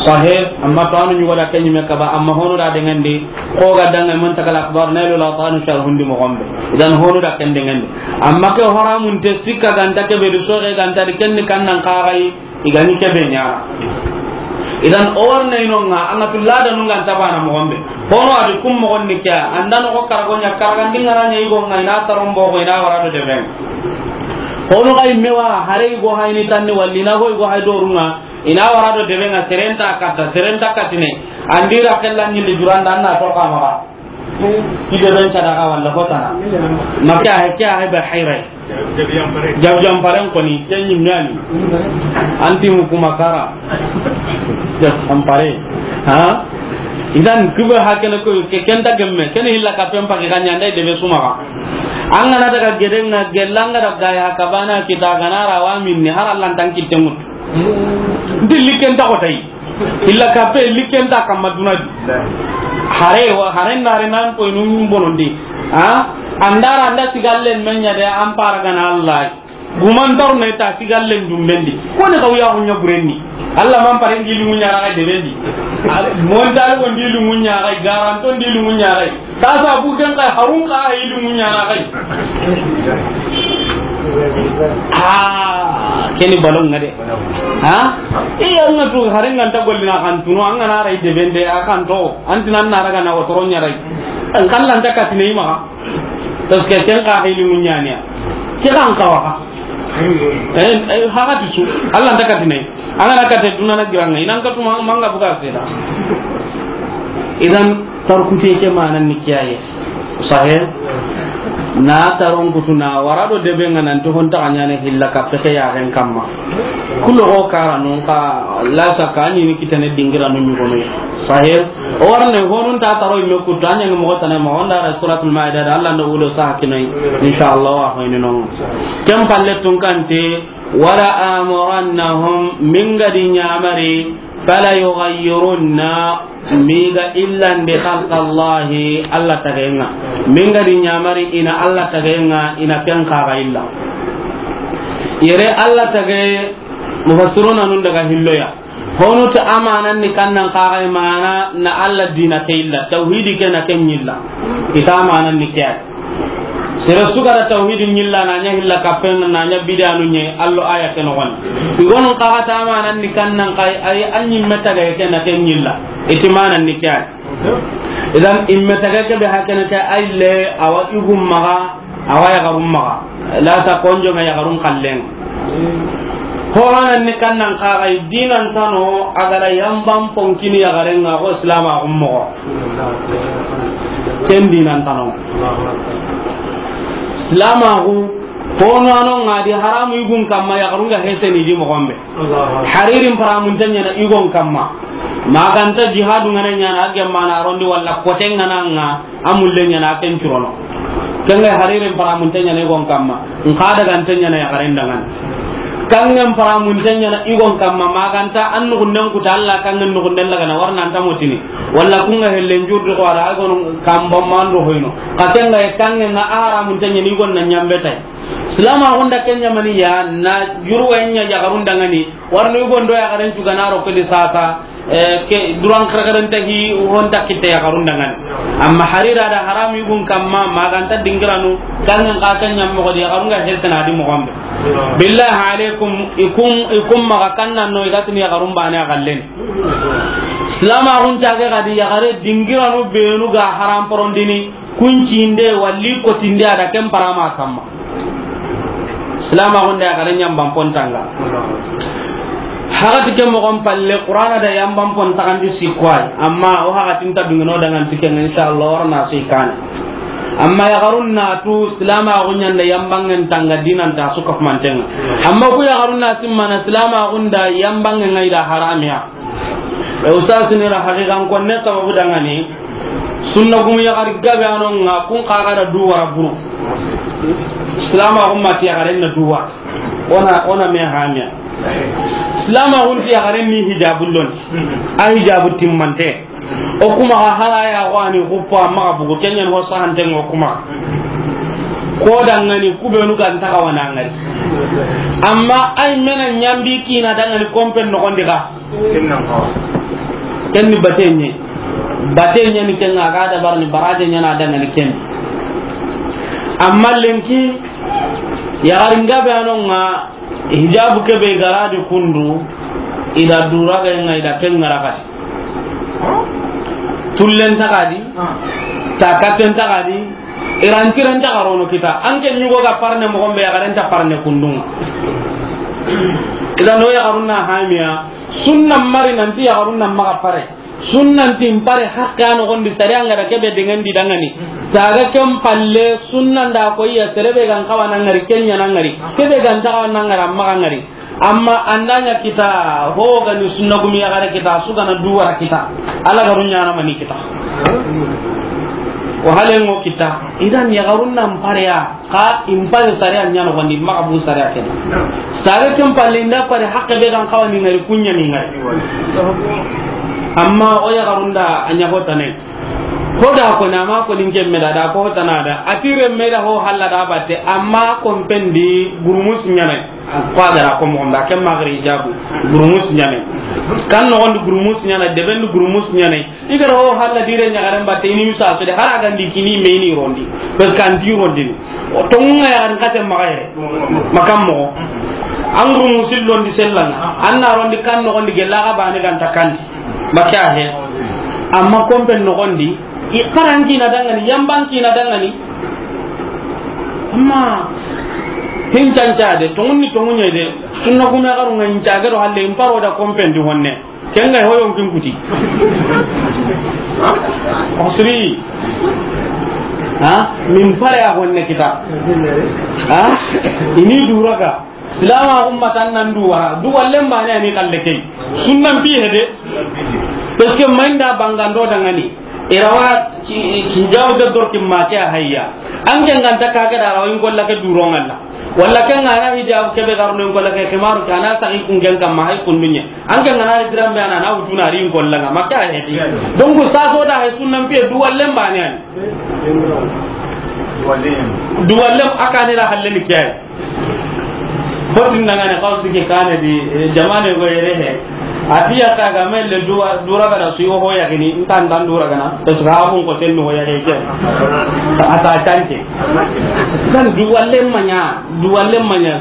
Sahe, amma to anu ñugo da ken ñime kaba, amma honu da dengendi, ko ga dange Muntakal Akhbar, Nailul Awtar, sharhundi moxo be. Idan honu da ken dengendi. Amma ke haramunte sikka ganta ke be di, soxe ganta di, ken ni kannan kaxayi, i ga ni ke be ñaana. Idan o warne ino ŋa, an ga tu lada nu ga nta bana moxo be. Hono a di kum moxon ni ke, an da no ko karago ña, karagandi ŋa ra ña i go ŋa, i na taron bo ko, i na wara do debe. Hono ga i me wa, hare i go hay ni tanni, walli na go i go hay do ru ŋa, i na wara do debe ŋa, sere nta katta, sere nta katine. An di ra kella ñilli juranda, an na to kama ba. Ki deben sadaka walla hotana. Ma ke a hay, ke a hay be hayray. Jab jam paren koni, ken ñi mani. Anti mu kuma kara. Jab jam pare. Ha? Idan kuba hakene ko ke kenta gemme, ken hilla ka pempa ke kanya ndai debe suma ba. An ga na daga gede ŋa, gella ŋa daga ya kabana kita ga na ra wa minni, har Allah tan kitte mut. Ndi likken ta ko tay. Illa kape likken ta kamma duna di. Hare wa, hare nare nan ko inun bonondi. Ha? Andara anda sigallen men ña de, an para gana Allah. Guman tar ne ta sigallen dumbendi. Ko ne kawya ko ña burenni. Allah man pare ngi lungu ña ra de bendi. Montal ko ngi lungu ña ra, garanto ngi lungu ña ra. Sasa bu ken kay harun ka ay lungu ña ra kay. Ah, keni balon ŋa de. Ha? Iya, ŋa tu hare ŋa nta gollina kan tunu, an ga na ray de bende a kan to, an tinan na raga na wotoro ña ray. An kallan ta katine ma. Parce que ken ka hay lungu ña ni. Ke kan kawa. Eh, eh, haga tu su. Allah ta katine. An ga na kate duna na giranga. Inan ka tuma manga buga seda. Idan tarkute ke manan ni kiyaye. Sahe. Na taron kutu na wara do debe ŋa nan to hon ta ñaana hilla ka peke ya ren kamma. Kulo ko kara non ka la sa ka ni ni kitane dingira no ñugo no. Sahe. O warne honun ta taro me kutu, an ña mo tane ma, onda ra Suratul Maida da, Allah ndo wudo sa kinai. Insha Allah wa hoyni non. Kem palle tun kante, wala amurannahum, min ga di ñamari, fala yughayyirunna, mi ga illandi khalqallahi, Allah tageŋa. Min ga di ñamari ina Allah tageŋa, ina ken kaga illa. Yere Allah tage, mufassiruna nun daga hilloya. Honu ta amanan ni kannan kaga mana na Allah dina ke illa, tawhidi ke na ken illa. Ita amanan ni ke. Sere su ga da tawhidin ñilla, na ña hilla kapen, na ña bidanu ñe, Allo aya ke no gon. Igonun kaga ta amanan ni kannan kay, ay an ñi meta ga ke na ken ñilla. Iti manan ni kay. Idan immeta ga ke be hakene kay, ay le awa igum maga, awa yaxarum maga. La ta konjo ŋa yaxarun kallen. Ko hanan ni kannan kaga dinan tano, agara yamban ponkini yaxaren ŋa ko Islam a gum moxo. Ken dinan tano. Silamaxu, hono ano ŋa di haramu igun kamma yaxarun ga heseni di moxon be. Haririn paramunte ñana igon kamma. Maganta jihadu ŋa na ñana a gemmana rondi walla kote ŋa na ŋa a mulle ñana a ken curono. Ken ga haririn paramunte ñana igon kamma. Nka daga nte ñana yaxaren dangan. Kangen paramunte ñana igon kamma, maganta an nugunden kuta Allah kangen nugunden lagana warna anta motini. Walla kunga hellen jurdi ko ara ay gono kamba mando hoyno. Ka kenga e kangen ŋa a haramunte ñana igon na ñambe tay. Silamaxun da ken ñamani ya na jurwa ña yaxarun dangani. Warno igon do yaxaren cugana ro kedi sasa. Eh, ke duran karakaranta hi honta kitte yaxarun dangani. Amma harira da haram igun kamma, maganta dingiranu, kangen ka ken ñam moxo di, yaxarun ga hesena di moxon be. Billahi alaikum, ikum, ikum maga kannan no, igatini yaxarun bane a gallen. Silamaxun cage gadi yaxare dingiranu benu ga haram porondini, kuncinde, walli kotinde, a da ken parama kamma. Silamaxun da yaxare ñamban pontanga. Hagati ke moxon palle, Qur'ana da yamban pon taxandi sikko ay. Amma o hagatin ta dungino dangan tiken, insha Allah, warna sikane. Amma yaxarun na tu silamaxun ñanda yambangen tanga dinan ta su kafumantenga. Amma ku yaxarun na simmana silamaxun da yambangen ŋa i da haramiya. E, ustaz ni ra haqiqan konne sababu dangani. Sunna gumu yaxari gabe ano ŋa kun kaga da du wara buru. Silamaxun ma ti yaxaren na du wara. Ona, ona me hamiya. Silamaxun ti yaxaren ni hijabu lon. A hijabu timmante. O kuma ga hara ya wani xuppa maxa bugu, kenyan ho sahanten o kuma. Ko dangani kubenu ga nta ga wana ngari. Amma ay mena ñambi kina dangani kompen noxondi ga. Ken ni bate ɲa. Bate ɲa ni ken ŋa, a ga dabarini baraje ɲa na dangani ken. Amma lenki, yaxarin gabe a no ŋa, hijabu ke be ga ra di kundu, i da dura ga ŋa, i da ken ŋa ra xadi. Tullen ta xadi, takaten ta xadi, i ran tiren ta xarono kita. An ke ɲugo ga parne moxo be, yaxaren ta parne kundu ŋa. I da no yaxarun na hamiya, sunna mari nanti yaxarun na maxa pare. Sunnanti n pare haqqe a noxondi, sariya n ga da kebe dengendi dangani. Taga ken palle, sunna nda ko iya, sere be ga n xawa na ŋari, ken ɲa na ŋari, kebe ga nta xawa na ŋari, a maxa ŋari. Amma an da ɲa kita, ho ga ni sunna gumi yaxare kita, su ga na duwara kita, Alla ga ru ɲa na mani kita. Wa halen ŋo kita, i da n yaxarun na n pare ya. Xa i n pare sariya ɲa noxondi, maxa bu sariya ken. Sariya ken palle, i nda pare haqqe be ga n xawa ni ŋari, kun ɲa ni ŋari. Amma o yaxarun da a ɲa ho tana. Ho da ko na ma ko ni n ke me da, da ko ho tana da. A ti renme da ho halla da batte, amma konpen di gurumus ɲa na. Ko a ga ra ko moxo be, ken ma gari jabu. Gurumus ɲa na. Kan noxondi gurumus ɲa na, deben di gurumus ɲa na. I ga ra ho halla di ren ɲaxaren batte, i ni misa so de, hari a ga ndi kini me, i ni rondi. Parce que an ti rondini. O tonŋu ŋa yaxarin xate maxa yere. Makan moxo. An gurumusi londi sellan ŋa. An na rondi kan noxondi gella ga bane ga nta kandi. Maxa he. Amma konpen noxondi, i xaran kina dangani, yamban kina dangani. Amma hin canca de, tonŋun ni tonŋu ɲa de. Sunna gume yaxarun ŋa n cage do halle, n paro da konpen di honne. Ken ga ho yonkin kuti. Osri. Ha? Min pare a honne kita. Ha? I ni dura ga. Silama ummatan nan duwara. Duwallen bane a ni xalle key. Sunnan piye de. Parce que ma i nda bangando dangani. I ra wa ki, ki jaw de dor ki ma ke a hayya. An ke n ga nta ka ke da ra wa in golla ke duron ŋa la. Walla ken ŋa na hijab kebe garno in kolla ke, ximaru ke a na saxi kun ken kamma, hay kun dunya. An ken ŋa na hijira be a na, na wutu na ri in kolla ŋa, maxa a heti. Donc, sa so da hay sunnan piye duwallen bane a ni. Duwallen a ka ni ra halle ni ke ay. Hotin na ŋa ne xawsi ke kane di, eh, jamane go yere he. A ti ya ta ga melle duwa, dura ga da su yo ho ya gini, ntan dan dura ga na, to su ga abun ko ten no ya ke. A ta tanke. Dan duwallen ma ɲa, duwallen ma ɲa.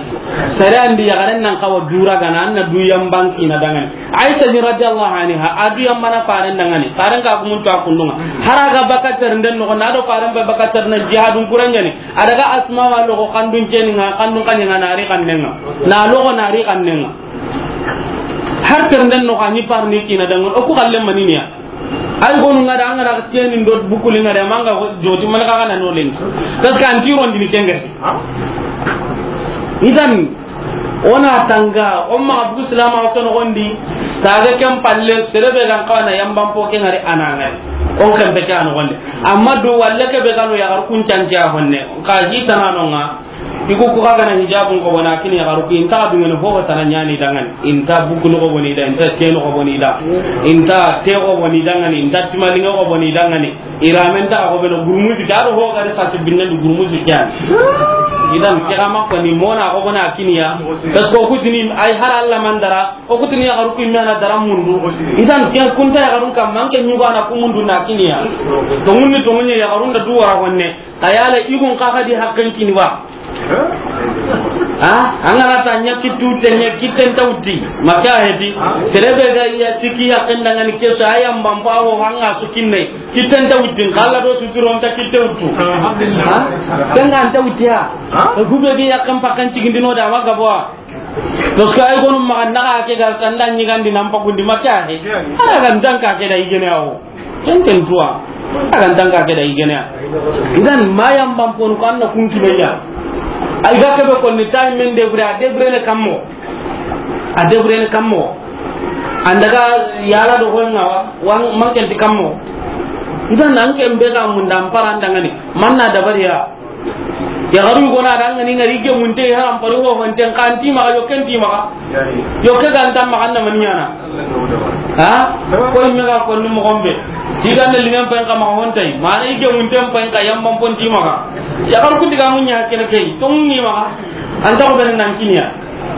Sere an di yaxaren nan xawa dura ga na, an na du yamban kina dangani. Aisha ni radiyallahu anha, a du yambana faren dangani. Faren ka gumun to a kundun ŋa. Hari a ga bakatar den no, na do faren be bakatar na jihadun kuran ɲa ni. A daga Asma wa logo xandun ceni ŋa, xandun xaɲe ŋa na ri xannen ŋa. Na logo na ri xannen ŋa. Har ternden no xa ni parni kina dangon, o ku xalle maniniya. Ay gonu ŋa da, an ga na keni ndo bukuli ŋa da, manga joti man xa na no len. Parce que an ti rondini ken ŋa. Idan, o na tanga, o ma bugu silama o ke noxondi, taga ken palle, sere be ga n xawa na yamban po ke ŋari a na ŋari. O n ken be ke a noxondi. Amma duwalle ke be ga no yaxarun kun canti a honne. Xa hi tana no ŋa, i ku ku xa ga na hijabun xo bona kini yaxaru ku, i nta dungene fofo tana ɲa ni dangani. I nta bukunu xo boni da, i nta tenu xo boni da, i nta te xo boni dangani, i nta timalinge xo boni dangani. I ramen ta xo beno gurumusi ke, a do ho ga ri sa ti binne du gurumusi ke an. Idan ke xa ma ko ni mona xo bona kiniya. Parce que o ku tini ay har Alla man dara, o ku tini yaxaru ku i me a na dara mundu. Idan ke kun ta yaxarun kamma, an ke ɲugo a na ku mundu na kiniya. To munni to munni yaxarun da du wara honne. Xa yala i gun xa xa di haqqen kini wa. Ha? An ga na ta ɲa kittu te ɲa kitten ta wuti. Maxa a heti. Sere be ga ya siki ya ken dangani ke so, a yamban po wo hanga su kinne. Kitten ta wuti. Xalla do su tiro nta kitte wutu. Ha? Ken ga nta wuti ha. Ku be ga ya kan pakan cigindino da ma gabo. Parce que ay gonu maxa na xa ke ga sanda ɲigandi nan pakundi maxa he. Ala ga nta xa ke da i gene awo. Ken ken tuwa. A ga nta xa ke da i gene a. Idan ma yamban ponu ko an na kun kibe ya. Ay ga ke be ko ni tay men de bure, a de bure ne kammo. A de bure ne kammo. An daga yala do ko ŋa wa, wan man ken ti kammo. Idan an ke be ga mun dan paran dangani. Man na dabariya. Yaxaru gona da ŋa ni ŋari gemunte haram pari ho honten xa nti maxa, yokke nti maxa. Yokke ga nta maxa na mani ɲana. Ha? Ko i me ga ko ni moxo be. Ti ga na limen pen xa maxa hontay. Mana i gemunte pen xa yamban pon ti maxa. Yaxaru ku diga mun ɲa kene key. To ni maxa. An ta ko ben nan kiniya.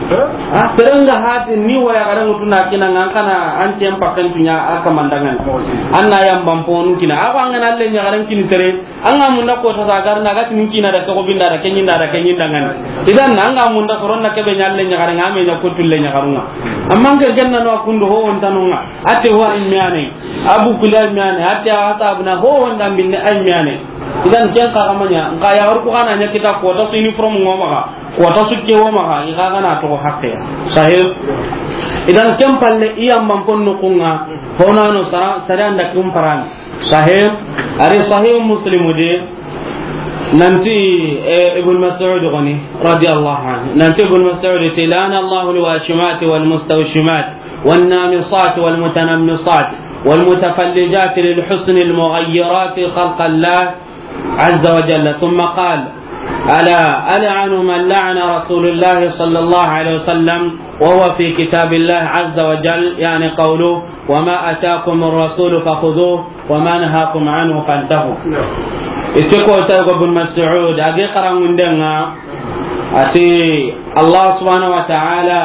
A, sere nga hati ni waya gare mutu na kina nga kana an tem pakan tunya a kamandangan. An na yamban ponu kina. A ko an ga na le ɲagaren kini sere. An ga munda ko ta sagar na ga tin kina da ko binda da kenyinda da kenyinda ngan. Idan an ga munda soron na kebe nyalle ɲagaren nga me nya ko tulle ɲagarunga. Amma ke genna no kundo ho wontanonga. Ate wa imyane. Abu Kulay miyane, ate a ta abuna ho wonda binne ay miyane. Idan ken ka kamanya, nka ya har ku kana nya kita ko ta su uniform ngoma ka, ko ta su ke woma ka, i ka kana to hakke. Sahih. Idan ken palle iya man ponno kunga, honano sara, sare anda kum paran. Sahih. Ari Sahih Muslim de, nanti, eh, Ibn Mas'ud goni, radiyallahu anhu. Nanti Ibn Mas'ud ti, "La'ana Allahu al-washimat wal mustawshimat." والنامصات والمتنمصات والمتفلجات للحسن المغيرات خلق الله عز وجل. ثم قال: ألا ألعن من لعن رسول الله صلى الله عليه وسلم وهو في كتاب الله عز وجل، يعني قوله: وما آتاكم الرسول فخذوه وما نهاكم عنه فانتهوا. Ite ko ta ko Ibn Mas'ud, a ge karangundenga, ati Allah subhanahu wa ta'ala,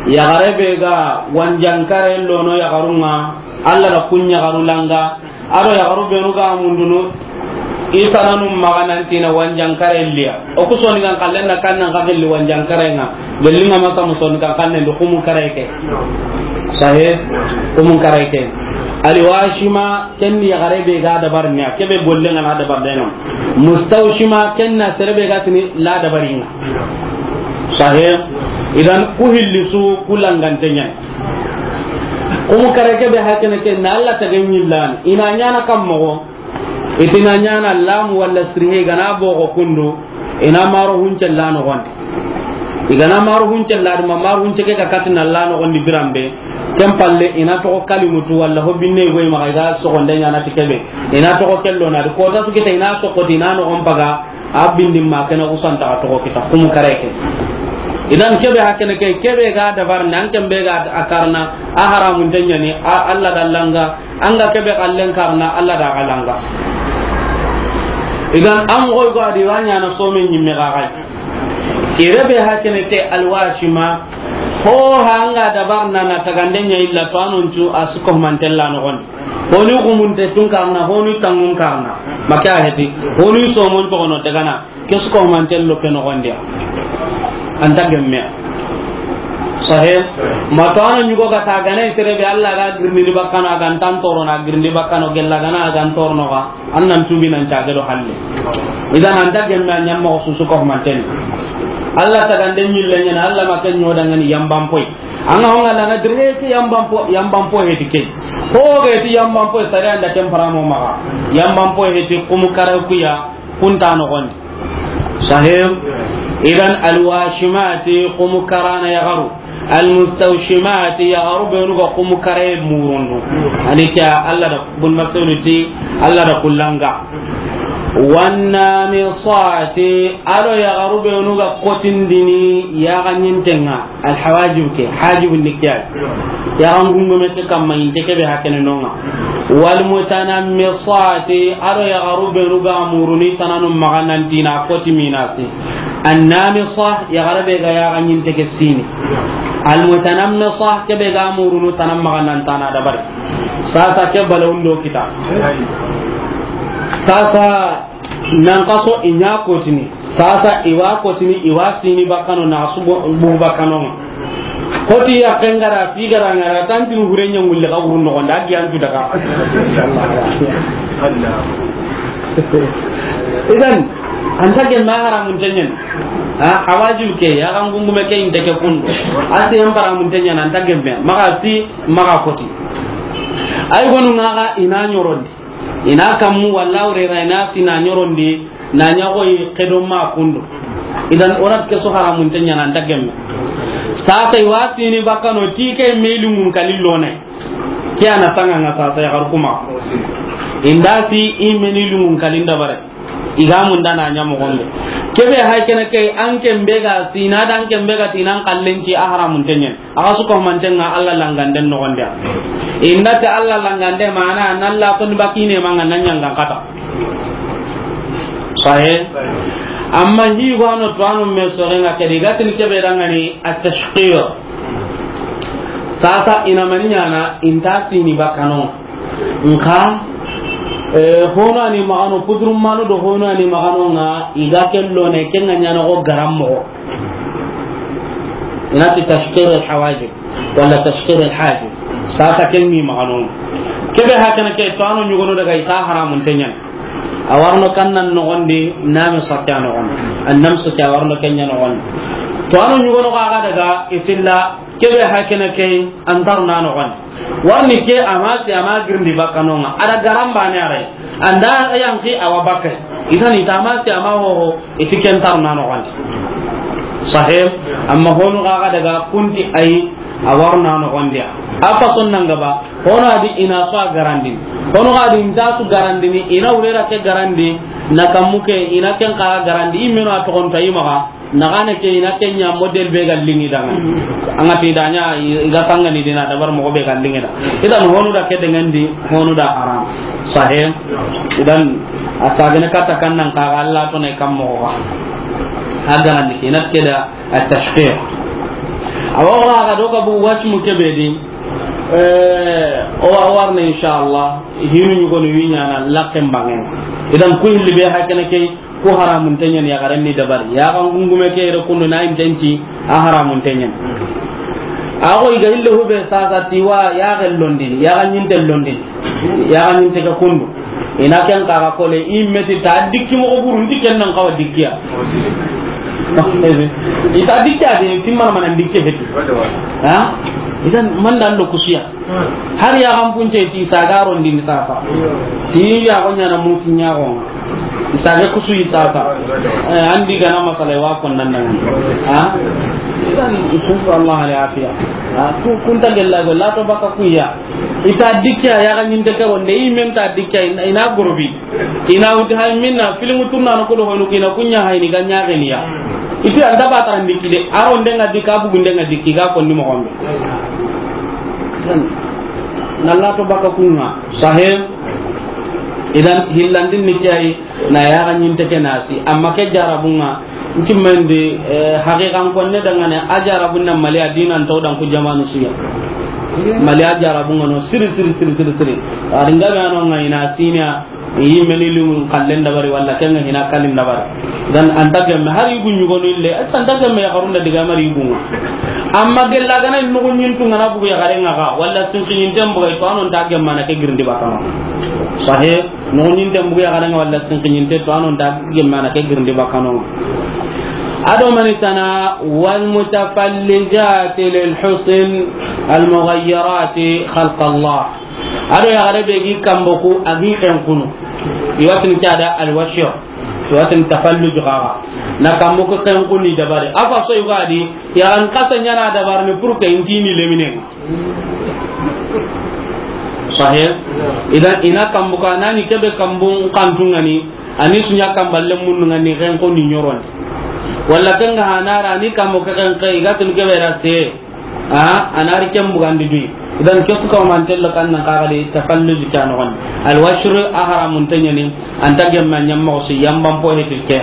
yaxare be ga wanjankare lono yaxarunga, Allah da kun yaxaru langa, ado yaxaru benu ga mundunu, i tananu maxa nantina wanjankare liya. O ku soni gan kallen na kannan ka gelli wanjankare nga, gelli nga masa musoni kan kannen do kumu kare ke. Sahe, kumu kare ke. Alwashima, ken ni yaxare be ga dabar niya, kebe golle nga na dabar deno. Mustawshima, ken na sere be ga tini la dabaringa. Sahe, idan ku hilli su ku langante ɲa. Kumu kare kebe hakene ke na Allah ta ganyi lan. Ina ɲana kam mogo. Itina ɲana lam wala sirhe gana bogo kundu. Ina maro hunce la no gonde. Igana maro hunce la duma maro hunce ke ka katina la no gondi birambe. Ken palle ina to kalimutu wala ho binne goy ma ga so gonde ɲana tikebe. Ina to kello na ko ta su kita ina so ko tina no on paga. A bindi ma kena kusanta ka togo kita kumu kare ke. Idan kebe hakene ke, kebe ga dabar nan ken be ga a karna, a haramun tanyani, a Allah da langa, an ga kebe kallen karna, Allah da ga langa. Idan an goy go adi wanya na so men nyimme ga gai. Ire be hakene ke alwashima, ho hanga dabar na na tagande nya illa to anuncu a suko mantella no gon. Honi gumunte tun karna, honi tangun karna. Make a heti. Honi somon togono dagana. Ke su ko mantel lo ke no gonde. Anta gemme. Sahe. Ma to ana nyugo ga ta gana itere be Allah ga girni ni bakkano a ga ntan toro na girni bakkano gella gana a ga ntorno ga. Annan tubi nan ta gado halle. Idan anta gemme a nyamma ko su su ko mantel. Allah ta gande nyille nyana Allah ma ken nyoda ngani yambam poy. Anga honga la na dire ke yambam po, yambam po heti ke. Ho ga heti yambam po sare anda temparamo maga. Yambam po heti kumu kare kuya kunta no gon. Sahim. Idan alwashimati kumu karana yagaru. Almustawshimati yagaru benu ga kumu kare murundu. Ani kya Allah da bun maksudi ti Allah da kullanga. Wannamisati, ado yagaru benu ga kotindini yaga nyintenga. Alhawajib ke, hajib ni kiya. Yaga ngungume ke kamma inte kebe hakene nonga. Walmutanammisati, ado yagaru benu ga muruni tananu maganantina koti minasi. Annamisa, yagara be ga yaga nyinte ke sini. Almutanammisa, kebe ga murunu tanam maganantana dabari. Sasa ke balawundo kita. Sasa nan kaso inya kotini. Sasa iwa kotini, iwa sini bakkano na su bu bakkano. Koti ya kengara sigara ngara tantin hurenya ngulle ka hurun no nda giyan tu daga. Idan anta gemme haramun tenyen. Ha, hawajib ke ya kan gungume ke inte ke kundu. Asi en haramun tenyen anta gemme. Maga si maga koti. Ay gonu ngaga ina nyorondi. Ina kammu walla urera ina sina nyorondi na nyagoy kedo ma kundu. Idan orat ke so haramun tenya nan dagemme. Sasa iwa sini bakkano tike meli mun kalillone. Ke ana sanga nga sasa ya harkuma. Inda si i meni lungun kalinda bare. Iga munda na nya mo gombe. Kebe hay kene ke an ken be ga sina dan ken be ga tinan kallen ki a haramun tenyen. Aga su ko mantenga Allah langanden no gonde. Inda ta Allah langande mana nan la ton bakine manga nan nyanga kata. Sahe. Amma hi gano tuwanu me sorenga kedi, gatini kebe dangani at-tashqir. Sasa ina mani ɲana, inta sini bakano. Nka, eh, hono ani magano, pudrum manu do hono ani magano nga, iga kello ne, kenga ɲana go garam mogo. Inati tashqir al-hawajib, wala tashqir al-hajib. Sasa ken ni magano. Kebe hakana ke, tuwanu ɲugono daga ita haramun tenyan. A warno kannan nogondi, name sakke a nogondi. Annamsu ke a warno kenya nogondi. Tuwanu ɲugono ga daga, itilla, kebe hakana ke, antarna nogondi. Warni ke ama si ama girndi bakkanonga. Ada garamba ne aray. Anda yanki awa bakke. Itani tama si ama hoho, iti ken tarna nogondi. Sahih, amma honu ga daga kunti ay, a warna nogondi. Apa sonnanga ba, hono adi ina so a garandini. Hono adi inta su garandini, ina wurera ke garandi, na kammuke, ina ken ka garandi, imeno a togonta imaga. Nagane ke ina kenya model be ga lingi danga. Anga ti danya i ga sangani dina dabar mo be ga lingi da. Idan honu da ke dengan di, honu da haram. Sahih. Idan asagene kata kannan ka Allah to ne kam mo ga. Hagaran di ina ke da at-tashqir. Awa ga do ka bu wasmu ke be di. Eh, o wa warne inshallah. Hinu ɲugonu wiɲana lakken bangen. Idan ku hilli be hakene ke. Ku haramun tenyen yaxaren ni dabari. Yaxan gungume ke yere kundu na intenti a haramun tenyen. Ago iga hille hube sasa tiwa yaxe londini, yaxa ɲinte londini, yaxa ɲinte ke kundu. Ina ken kaga kole, i meti ta dikki moxo buru, nti ken nan kawa dikkiya. Ita dikkiya de, timmana mana dikke heti. Ha? Idan, manda ando kusuya. Har yaxan punce ti saga rondini sasa. Ti yaxo ɲana musi ɲaxonga. Isage kusu i sasa. Eh, andi gana masala wa konnan nan. Ha? Idan, insha Allah al afiya. Ha? Ku, kunta gella go, lato baka kuya. Ita dikkiya, yaxa ɲinte ke ronde, i men ta dikkiya, ina, ina gorobi. Ina wuti hay minna, filimu tunna no kodo hoynu kina, kunya hayni ga ɲaxeniya. Iti anda ba tan dikki de, a ronde nga dikka, bugunde nga dikki, ga konni moxombe. Nalla to baka kunga, sahib. Idan, hillandin ni kiyai, na yaxa ɲinte ke nasi. Amma ke jarabunga, nti mendi, eh, haqiqan konne dangane, a jarabun na Mali a dinan to dan ku jamanu siya. Mali a jarabunga no, siri, siri, siri, siri, siri. A ringa be ano nga ina sinya, Yi meni limun kallen dabari walla kenga hina kalin dabari. Dan anta gemme har yugu ɲugonu ille, anta gemme ya karunda diga mari yugu. Amma gella gana nugu ɲintu ngana bugu ya garenga ga, walla sinki ɲinte bugu to anon ta gemme na ke girndi bakano. Sahe, nugu ɲinte bugu ya garenga walla sinki ɲinte to anon ta gemme na ke girndi bakano. Ado mani tana, wal mutafallijati lil husn, al mughayyirati khalq Allah. Ado yaxare be gi kambo ku a gi xenqunu. Iwatin ke ada alwashir. Iwatin tafalluj xaxa. Na kambo ku xenquni dabari. Afa so yugadi, ya an kasa ɲana dabar ni pour que intini lemine. Sahih. Idan ina kambo ka nani kebe kambo kantungani. Ani sunya kamballe munnu ngani xenquni ɲoroni. Walla kenga hanara ni kambo ke xenqe, igatun kebe raste. A, anari ken bugandi dui. Idan kesu ka mantello kan nan kaga de tafalluj kan on. Al washru a haramun tanyani, anta gemma nyamma o si yamban po hetil ke.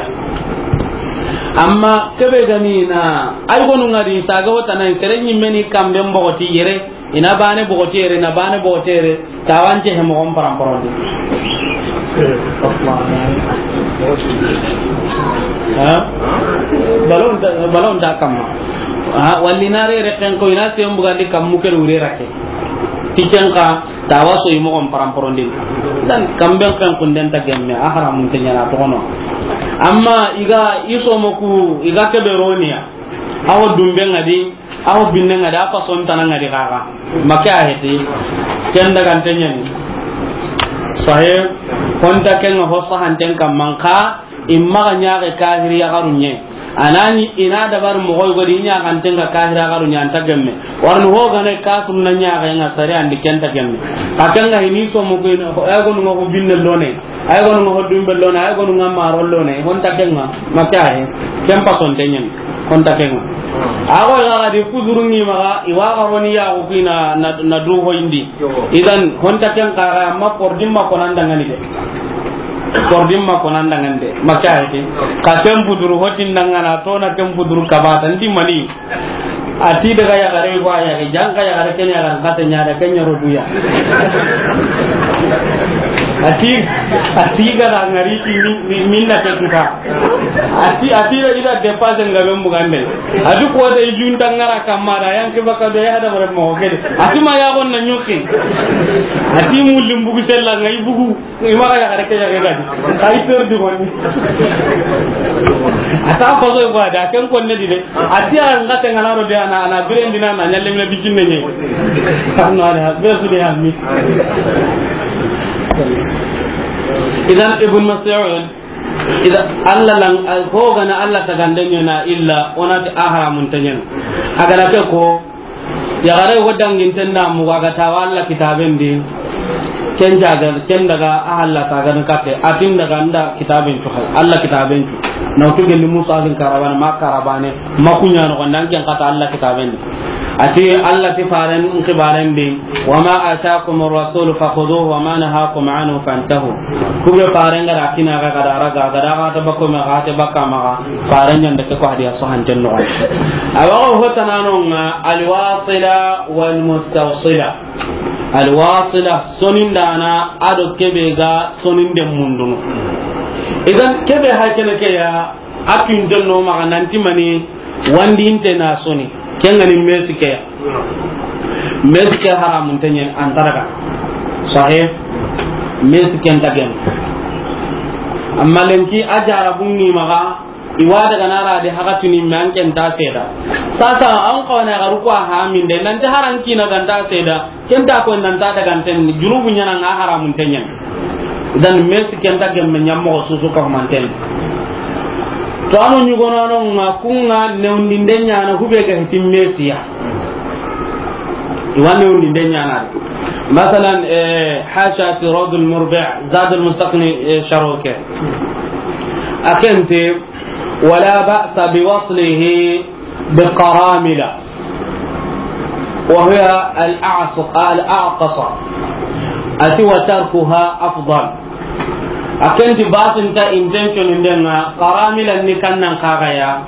Amma kebe gani na, ay gonu ngadi saga wata nan sere nyimmeni kambe mbogoti yere, ina bane bogoti yere, na bane bogoti yere. Tawance he mogon paramporondi. Ha? Balon ta, balon ta kamma. Ha, walli na re re ken ko ina sem bugandi kammu ke wure rake. Ti ken ka tawaso i mogon paramporondi. Dan kamben ken kunden ta gemme, a haramun tenyana to kono. Amma iga iso moku, iga kebe roniya. Awo dumbe ngadi, Aw binne ngadi, a fason tana ngadi kaka. Make a heti. Ken daga ntenyani. Sahe, honta ken ho sahanten kamman ka, imma ga nyaage kahiri ya garunye. Anani ina dabar mogoy godi nya kan tenga kahira garu nya anta gemme. Warni ho gane kafir na nya ga nga sare andi kenta gemme. Ka kanga hini so mo ko ina, ay gonu ngo binne lone. Ay gonu ngo dumbe lone, ay gonu nga maro lone. Honta kenga, makahe. Kempa son tenyen. Honta kenga. Ago ga ga di kuzuru ngi maga, iwa garoni ya ko kina na, na du ho indi. Idan honta kenga ma por dimma ko nan dangani de. Kordin ma ko nan dangande, ma ka hete. Ka ken puturu hotin dangana, to na ken puturu kabata, ndi mani. A ti daga yaxare ko a yaxe, janka yaxare ken yaxare, kata ɲa da ken ɲa ro duya. A ti, a ti ga da ngari ti mi-, mi-, minna ke tuka. A ti, a ti da ida dépassé nga ben bugande. A ti ko da i junta ngara kamma da, yan ke baka do ya da bare mo kede. A ti ma ya gon na ɲoke. A ti mu limbugu sella ngai bugu. I maxa yaxare ke yaxe gadi. Xa i perdu goni. A ta faso ko a da ken konne di de. A ti a nga te ngana ro de ana, ana biren dina na ɲalle me bikin ne ɲe. Arno ala be su de hammi. Idan Ibn Mas'ud, idan Allah lan, ko gana Allah tagande ɲana illa, o na ti a haramun ta ɲana. A gana ke ko, yaxare wo danginten da mugu a ga tawa Allah kitaben di, ken jaga, ken daga a halla tagan kate, a tin daga nda kitaben cu hay, Allah kitaben cu. Na wutu gelli Musa bin Karabane, ma Karabane, ma kuɲa no gonda ken kata Allah kitaben di. A ti Allah ti faren xibaren di, "Wa ma atakum ar-rasulu fakhuduhu wa ma nahakum anhu fantahu." Kube faren ga da kina ga, ga da raga, ga da ga ta bako ma ga ta baka ma ga. Faren ɲan da ke ko hadiya so hanten no. A wa ho tanano nga al-wasila wal mustawsila. Al-wasila, sonindana, a do kebe ga soninde mundunu. Idan kebe ha kene ke ya, a tunten no maxa nanti mani wandinte na soni. Ken ga ni mesi ke ya. Mesi ke haramun ta ɲen an ta daga. Sahih. Mesi ken ta gem. Amma lenki a jarabun ni maxa, i wa daga na ra de hakatuni me an ken ta seda. Sasa an ko na garu ko ha min de nan ta haran kina ganta seda. Ken ta ko nan ta daga ten junubu ɲana nga haramun ta ɲen. Dan mesi ken ta gemme ɲammo susu ka manten. To ano ɲugono no nga kunga newndinde ɲana hube ga hitin mesiya. I wa newndinde ɲana. Masalan, eh, hasha fi Rawdul Murbi', Zadul Mustaqni, eh, sharoke. A ken te, "Wala ba'sa bi waslihi bi qaramila. Wa hiya al-a'saq, al-aqsa." A ti, "Wa tarkuha afdal." A ken ti basin ta intention ndenga, qaramila ni kannan kagaya.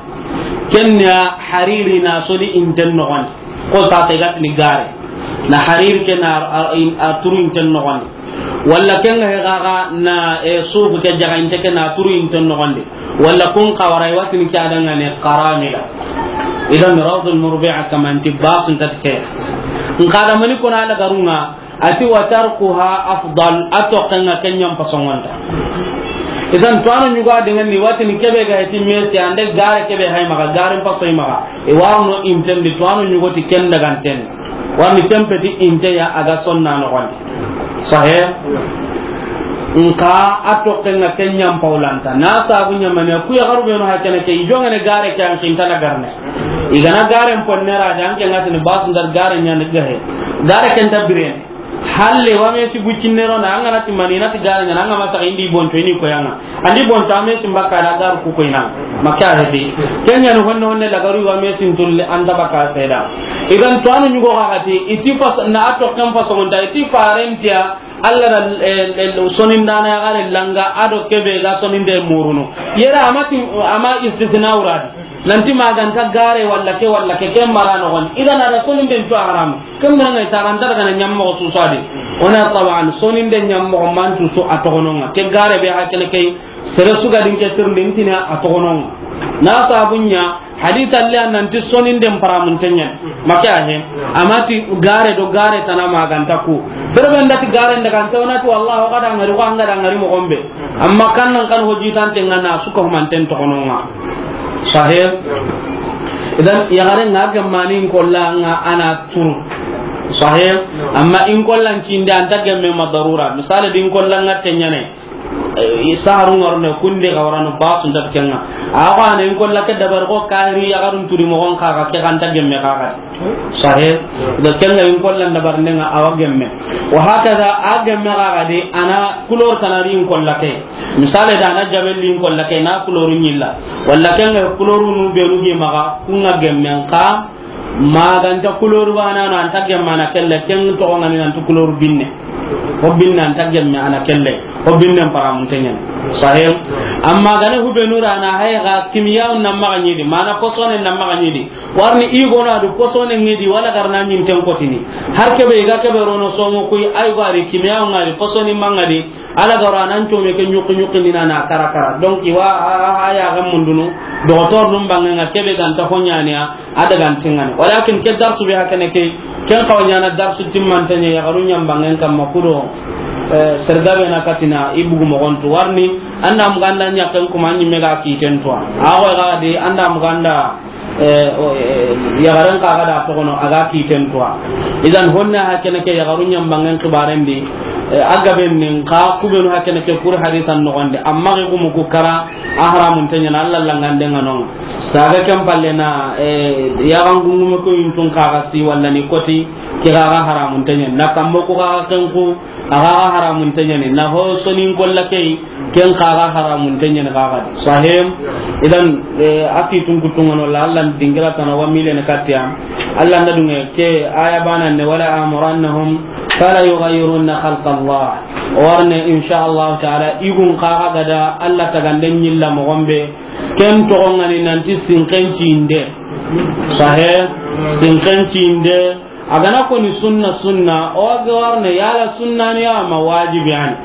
Kenya hariri na sodi inten nogon. Ko sa te gatni gare. Na hariri ke na a, a, a turu inten nogon. Walla ken ga he gaga na, e, suufu ke jaga inte ke na turu inte nogondi. Walla kun kawara i watini ke adanga ne qaramila. Idan Rawdul Murbi'a kamanti basun tatke. Nka da mani kona la garunga, ati wa tarkuha afdal, a toxenga ken ɲa n pasongonta. Idan to ano ɲugo adanga ni watini kebe ga heti mesi ande gare kebe hay maga, gare n paso i maga. I waruno intendi to ano ɲugo ti ken daganten. Warni tempeti inte ya a ga sonna nogondi. Sahe? Nka a toxenga ken ɲa n pawlanta. Na sabu ɲamane ku ya garu beno ha kene ke i jongene gare ke an kinta na garne. I gana gare n ponne ra da an ke ngatini basu ndar gare ɲa ni gahe. Gare ken ta birene. Halle wa me si bucinne ro na an gana ti mani na ti gare ɲa na an ga masa indi bonto ini ko yanga. Andi bonta me sin baka da garu ku ko ina. Maka hedi. Kenya no honne honne la garu wa me sin tulle anda baka seda. Idan to anu ɲugo ga gati iti fas na ato kan faso nda iti farentia Allah da, eh, eh, sonindana ya gare langa ado kebe ga soninde muruno. Yera amati ama istisna uradi. Nanti maganta gare walla ke walla ke, ke mara nogon. Idan ada soninde ntu haram. Ken manga i taranta daga na ɲammoxo susadi. Ona taban soninde ɲammoxo mantu su a toxononga. Ke gare be hakkene kay sere suga din ke tirndi ntina a toxononga. Na sabunya hadith alle nanti soninde mparamun tenyen. Make ahe. Amati gare do gare tana maganta ku. Berbe ndati gare ndaga anta onati wallahi o kada ngari ko angada ngari mo gombe. Amma kan nan kan hojitante ngana suka humanten toxononga. Sahih. Idan yagare nga gemmani in kolla nga ana turu. Sahih. Amma in kollan kinde anta gemme ma darura. Misali din kollan nga tenyane. Eh, saharu ngarne kunde ga warano basu ndat kenga. Awa ne in kolla ke dabar ko kahiri yagarun turi mo gon kaga ke kanta gemme kaga. Sahih. Da kenga in kollan dabar nenga awa gemme. Wa hakaza a gemme kaga de ana kulor tanari in kolla ke. Misale da na jabelli in kolla ke na kuloru ɲilla. Walla kenga kuloru nu benu ge maga kunga gemmen ka maganta kuloru bana no anta gemma na kelle ken to ngani nan to kuloru binne. Ko binne anta gemme ana kelle. Ko binne paramun tenyen. Sahih. Amma gane hubenu rana hay ga kimiyawun na maxa ɲi di, mana posone na maxa ɲi di. Warni i gono a du posone ŋi di, wala garna ɲinten kotini. Har kebe i ga kebe rono somo kuyi, ay go a ri kimiyawun ŋa di, posoni maŋa di, ala garo a nan come ke ɲuki ɲuki ni na na kara kara. Donc, i wa a, a, a ya ga mundunu, dogotor num bange ŋa kebe ganta ho ɲaniya, a daga ntingani. Walakin ke darsu be hakene ke, ken xawa ɲana darsu timmante ɲa yaxaru ɲambangen kamma kudo, eh, sergabe na katina i bugu moxontu warni, anda muganda ɲaken kuma ɲimme ga kiten tuwa. A xo ga di, anda muganda, eh, o, eh, yaxaren xa ga da toxono, a ga kiten tuwa. Idan honna hakene ke yaxaru ɲambangen xibaren di, eh, a gaben nin xa kubenu hakene ke kuri hadisan noxondi, amma xi gumu ku kara, a haramunte ɲana, Alla langande ŋa non. Saga ken palle na, eh, yaxan gungume ko yuntun kaga si walla ni koti, ke gaga haramun tenyani. Na kambo ko gaga ken ku, a gaga haramun tenyani. Na ho sonin kolla kei, ken kaga haramun tenyani gaga di. Sahim, idan, eh, aki tun kutungono la, Alla dingira tana wa mile ne katia. Alla na dunge ke aya bana ne, "Wala amurannahum fala yughayyirunna khalqa Allah." Warne, insha Allah ta'ala, igun kaga gada Alla taganden yilla mogombe, ken toxo ŋa ni nanti sinken cinde. Sahe, sinken cinde. A gana ko ni sunna, sunna, o ga warne yala sunna ni ama wajibi ani.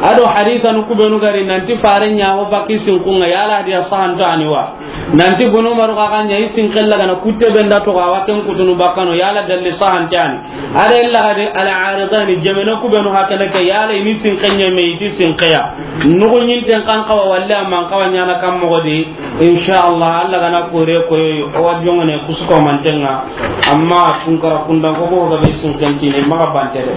Ado hadisa nu kubenu gari nanti fare ɲa ho baki sinkun ŋa yala hadiya sahanta ani wa. Nanti bunu maru ka kan ɲa i sinken la gana kutte benda to ga wa ken kutunu bakano yala dalli sahanta ani. Ada illa gadi al-aridani, jamana kubenu hakana ke, yala ini sinke ɲeme iti sinkeya. Nugu ɲinten kan kawa walle amman kawa ɲana kan mogodi. Insha Allah, Alla gana kore koyo, o wa jongone kusuko mantenga. Amma tunkara kundan ko ko gabe sinken tini maga bante de.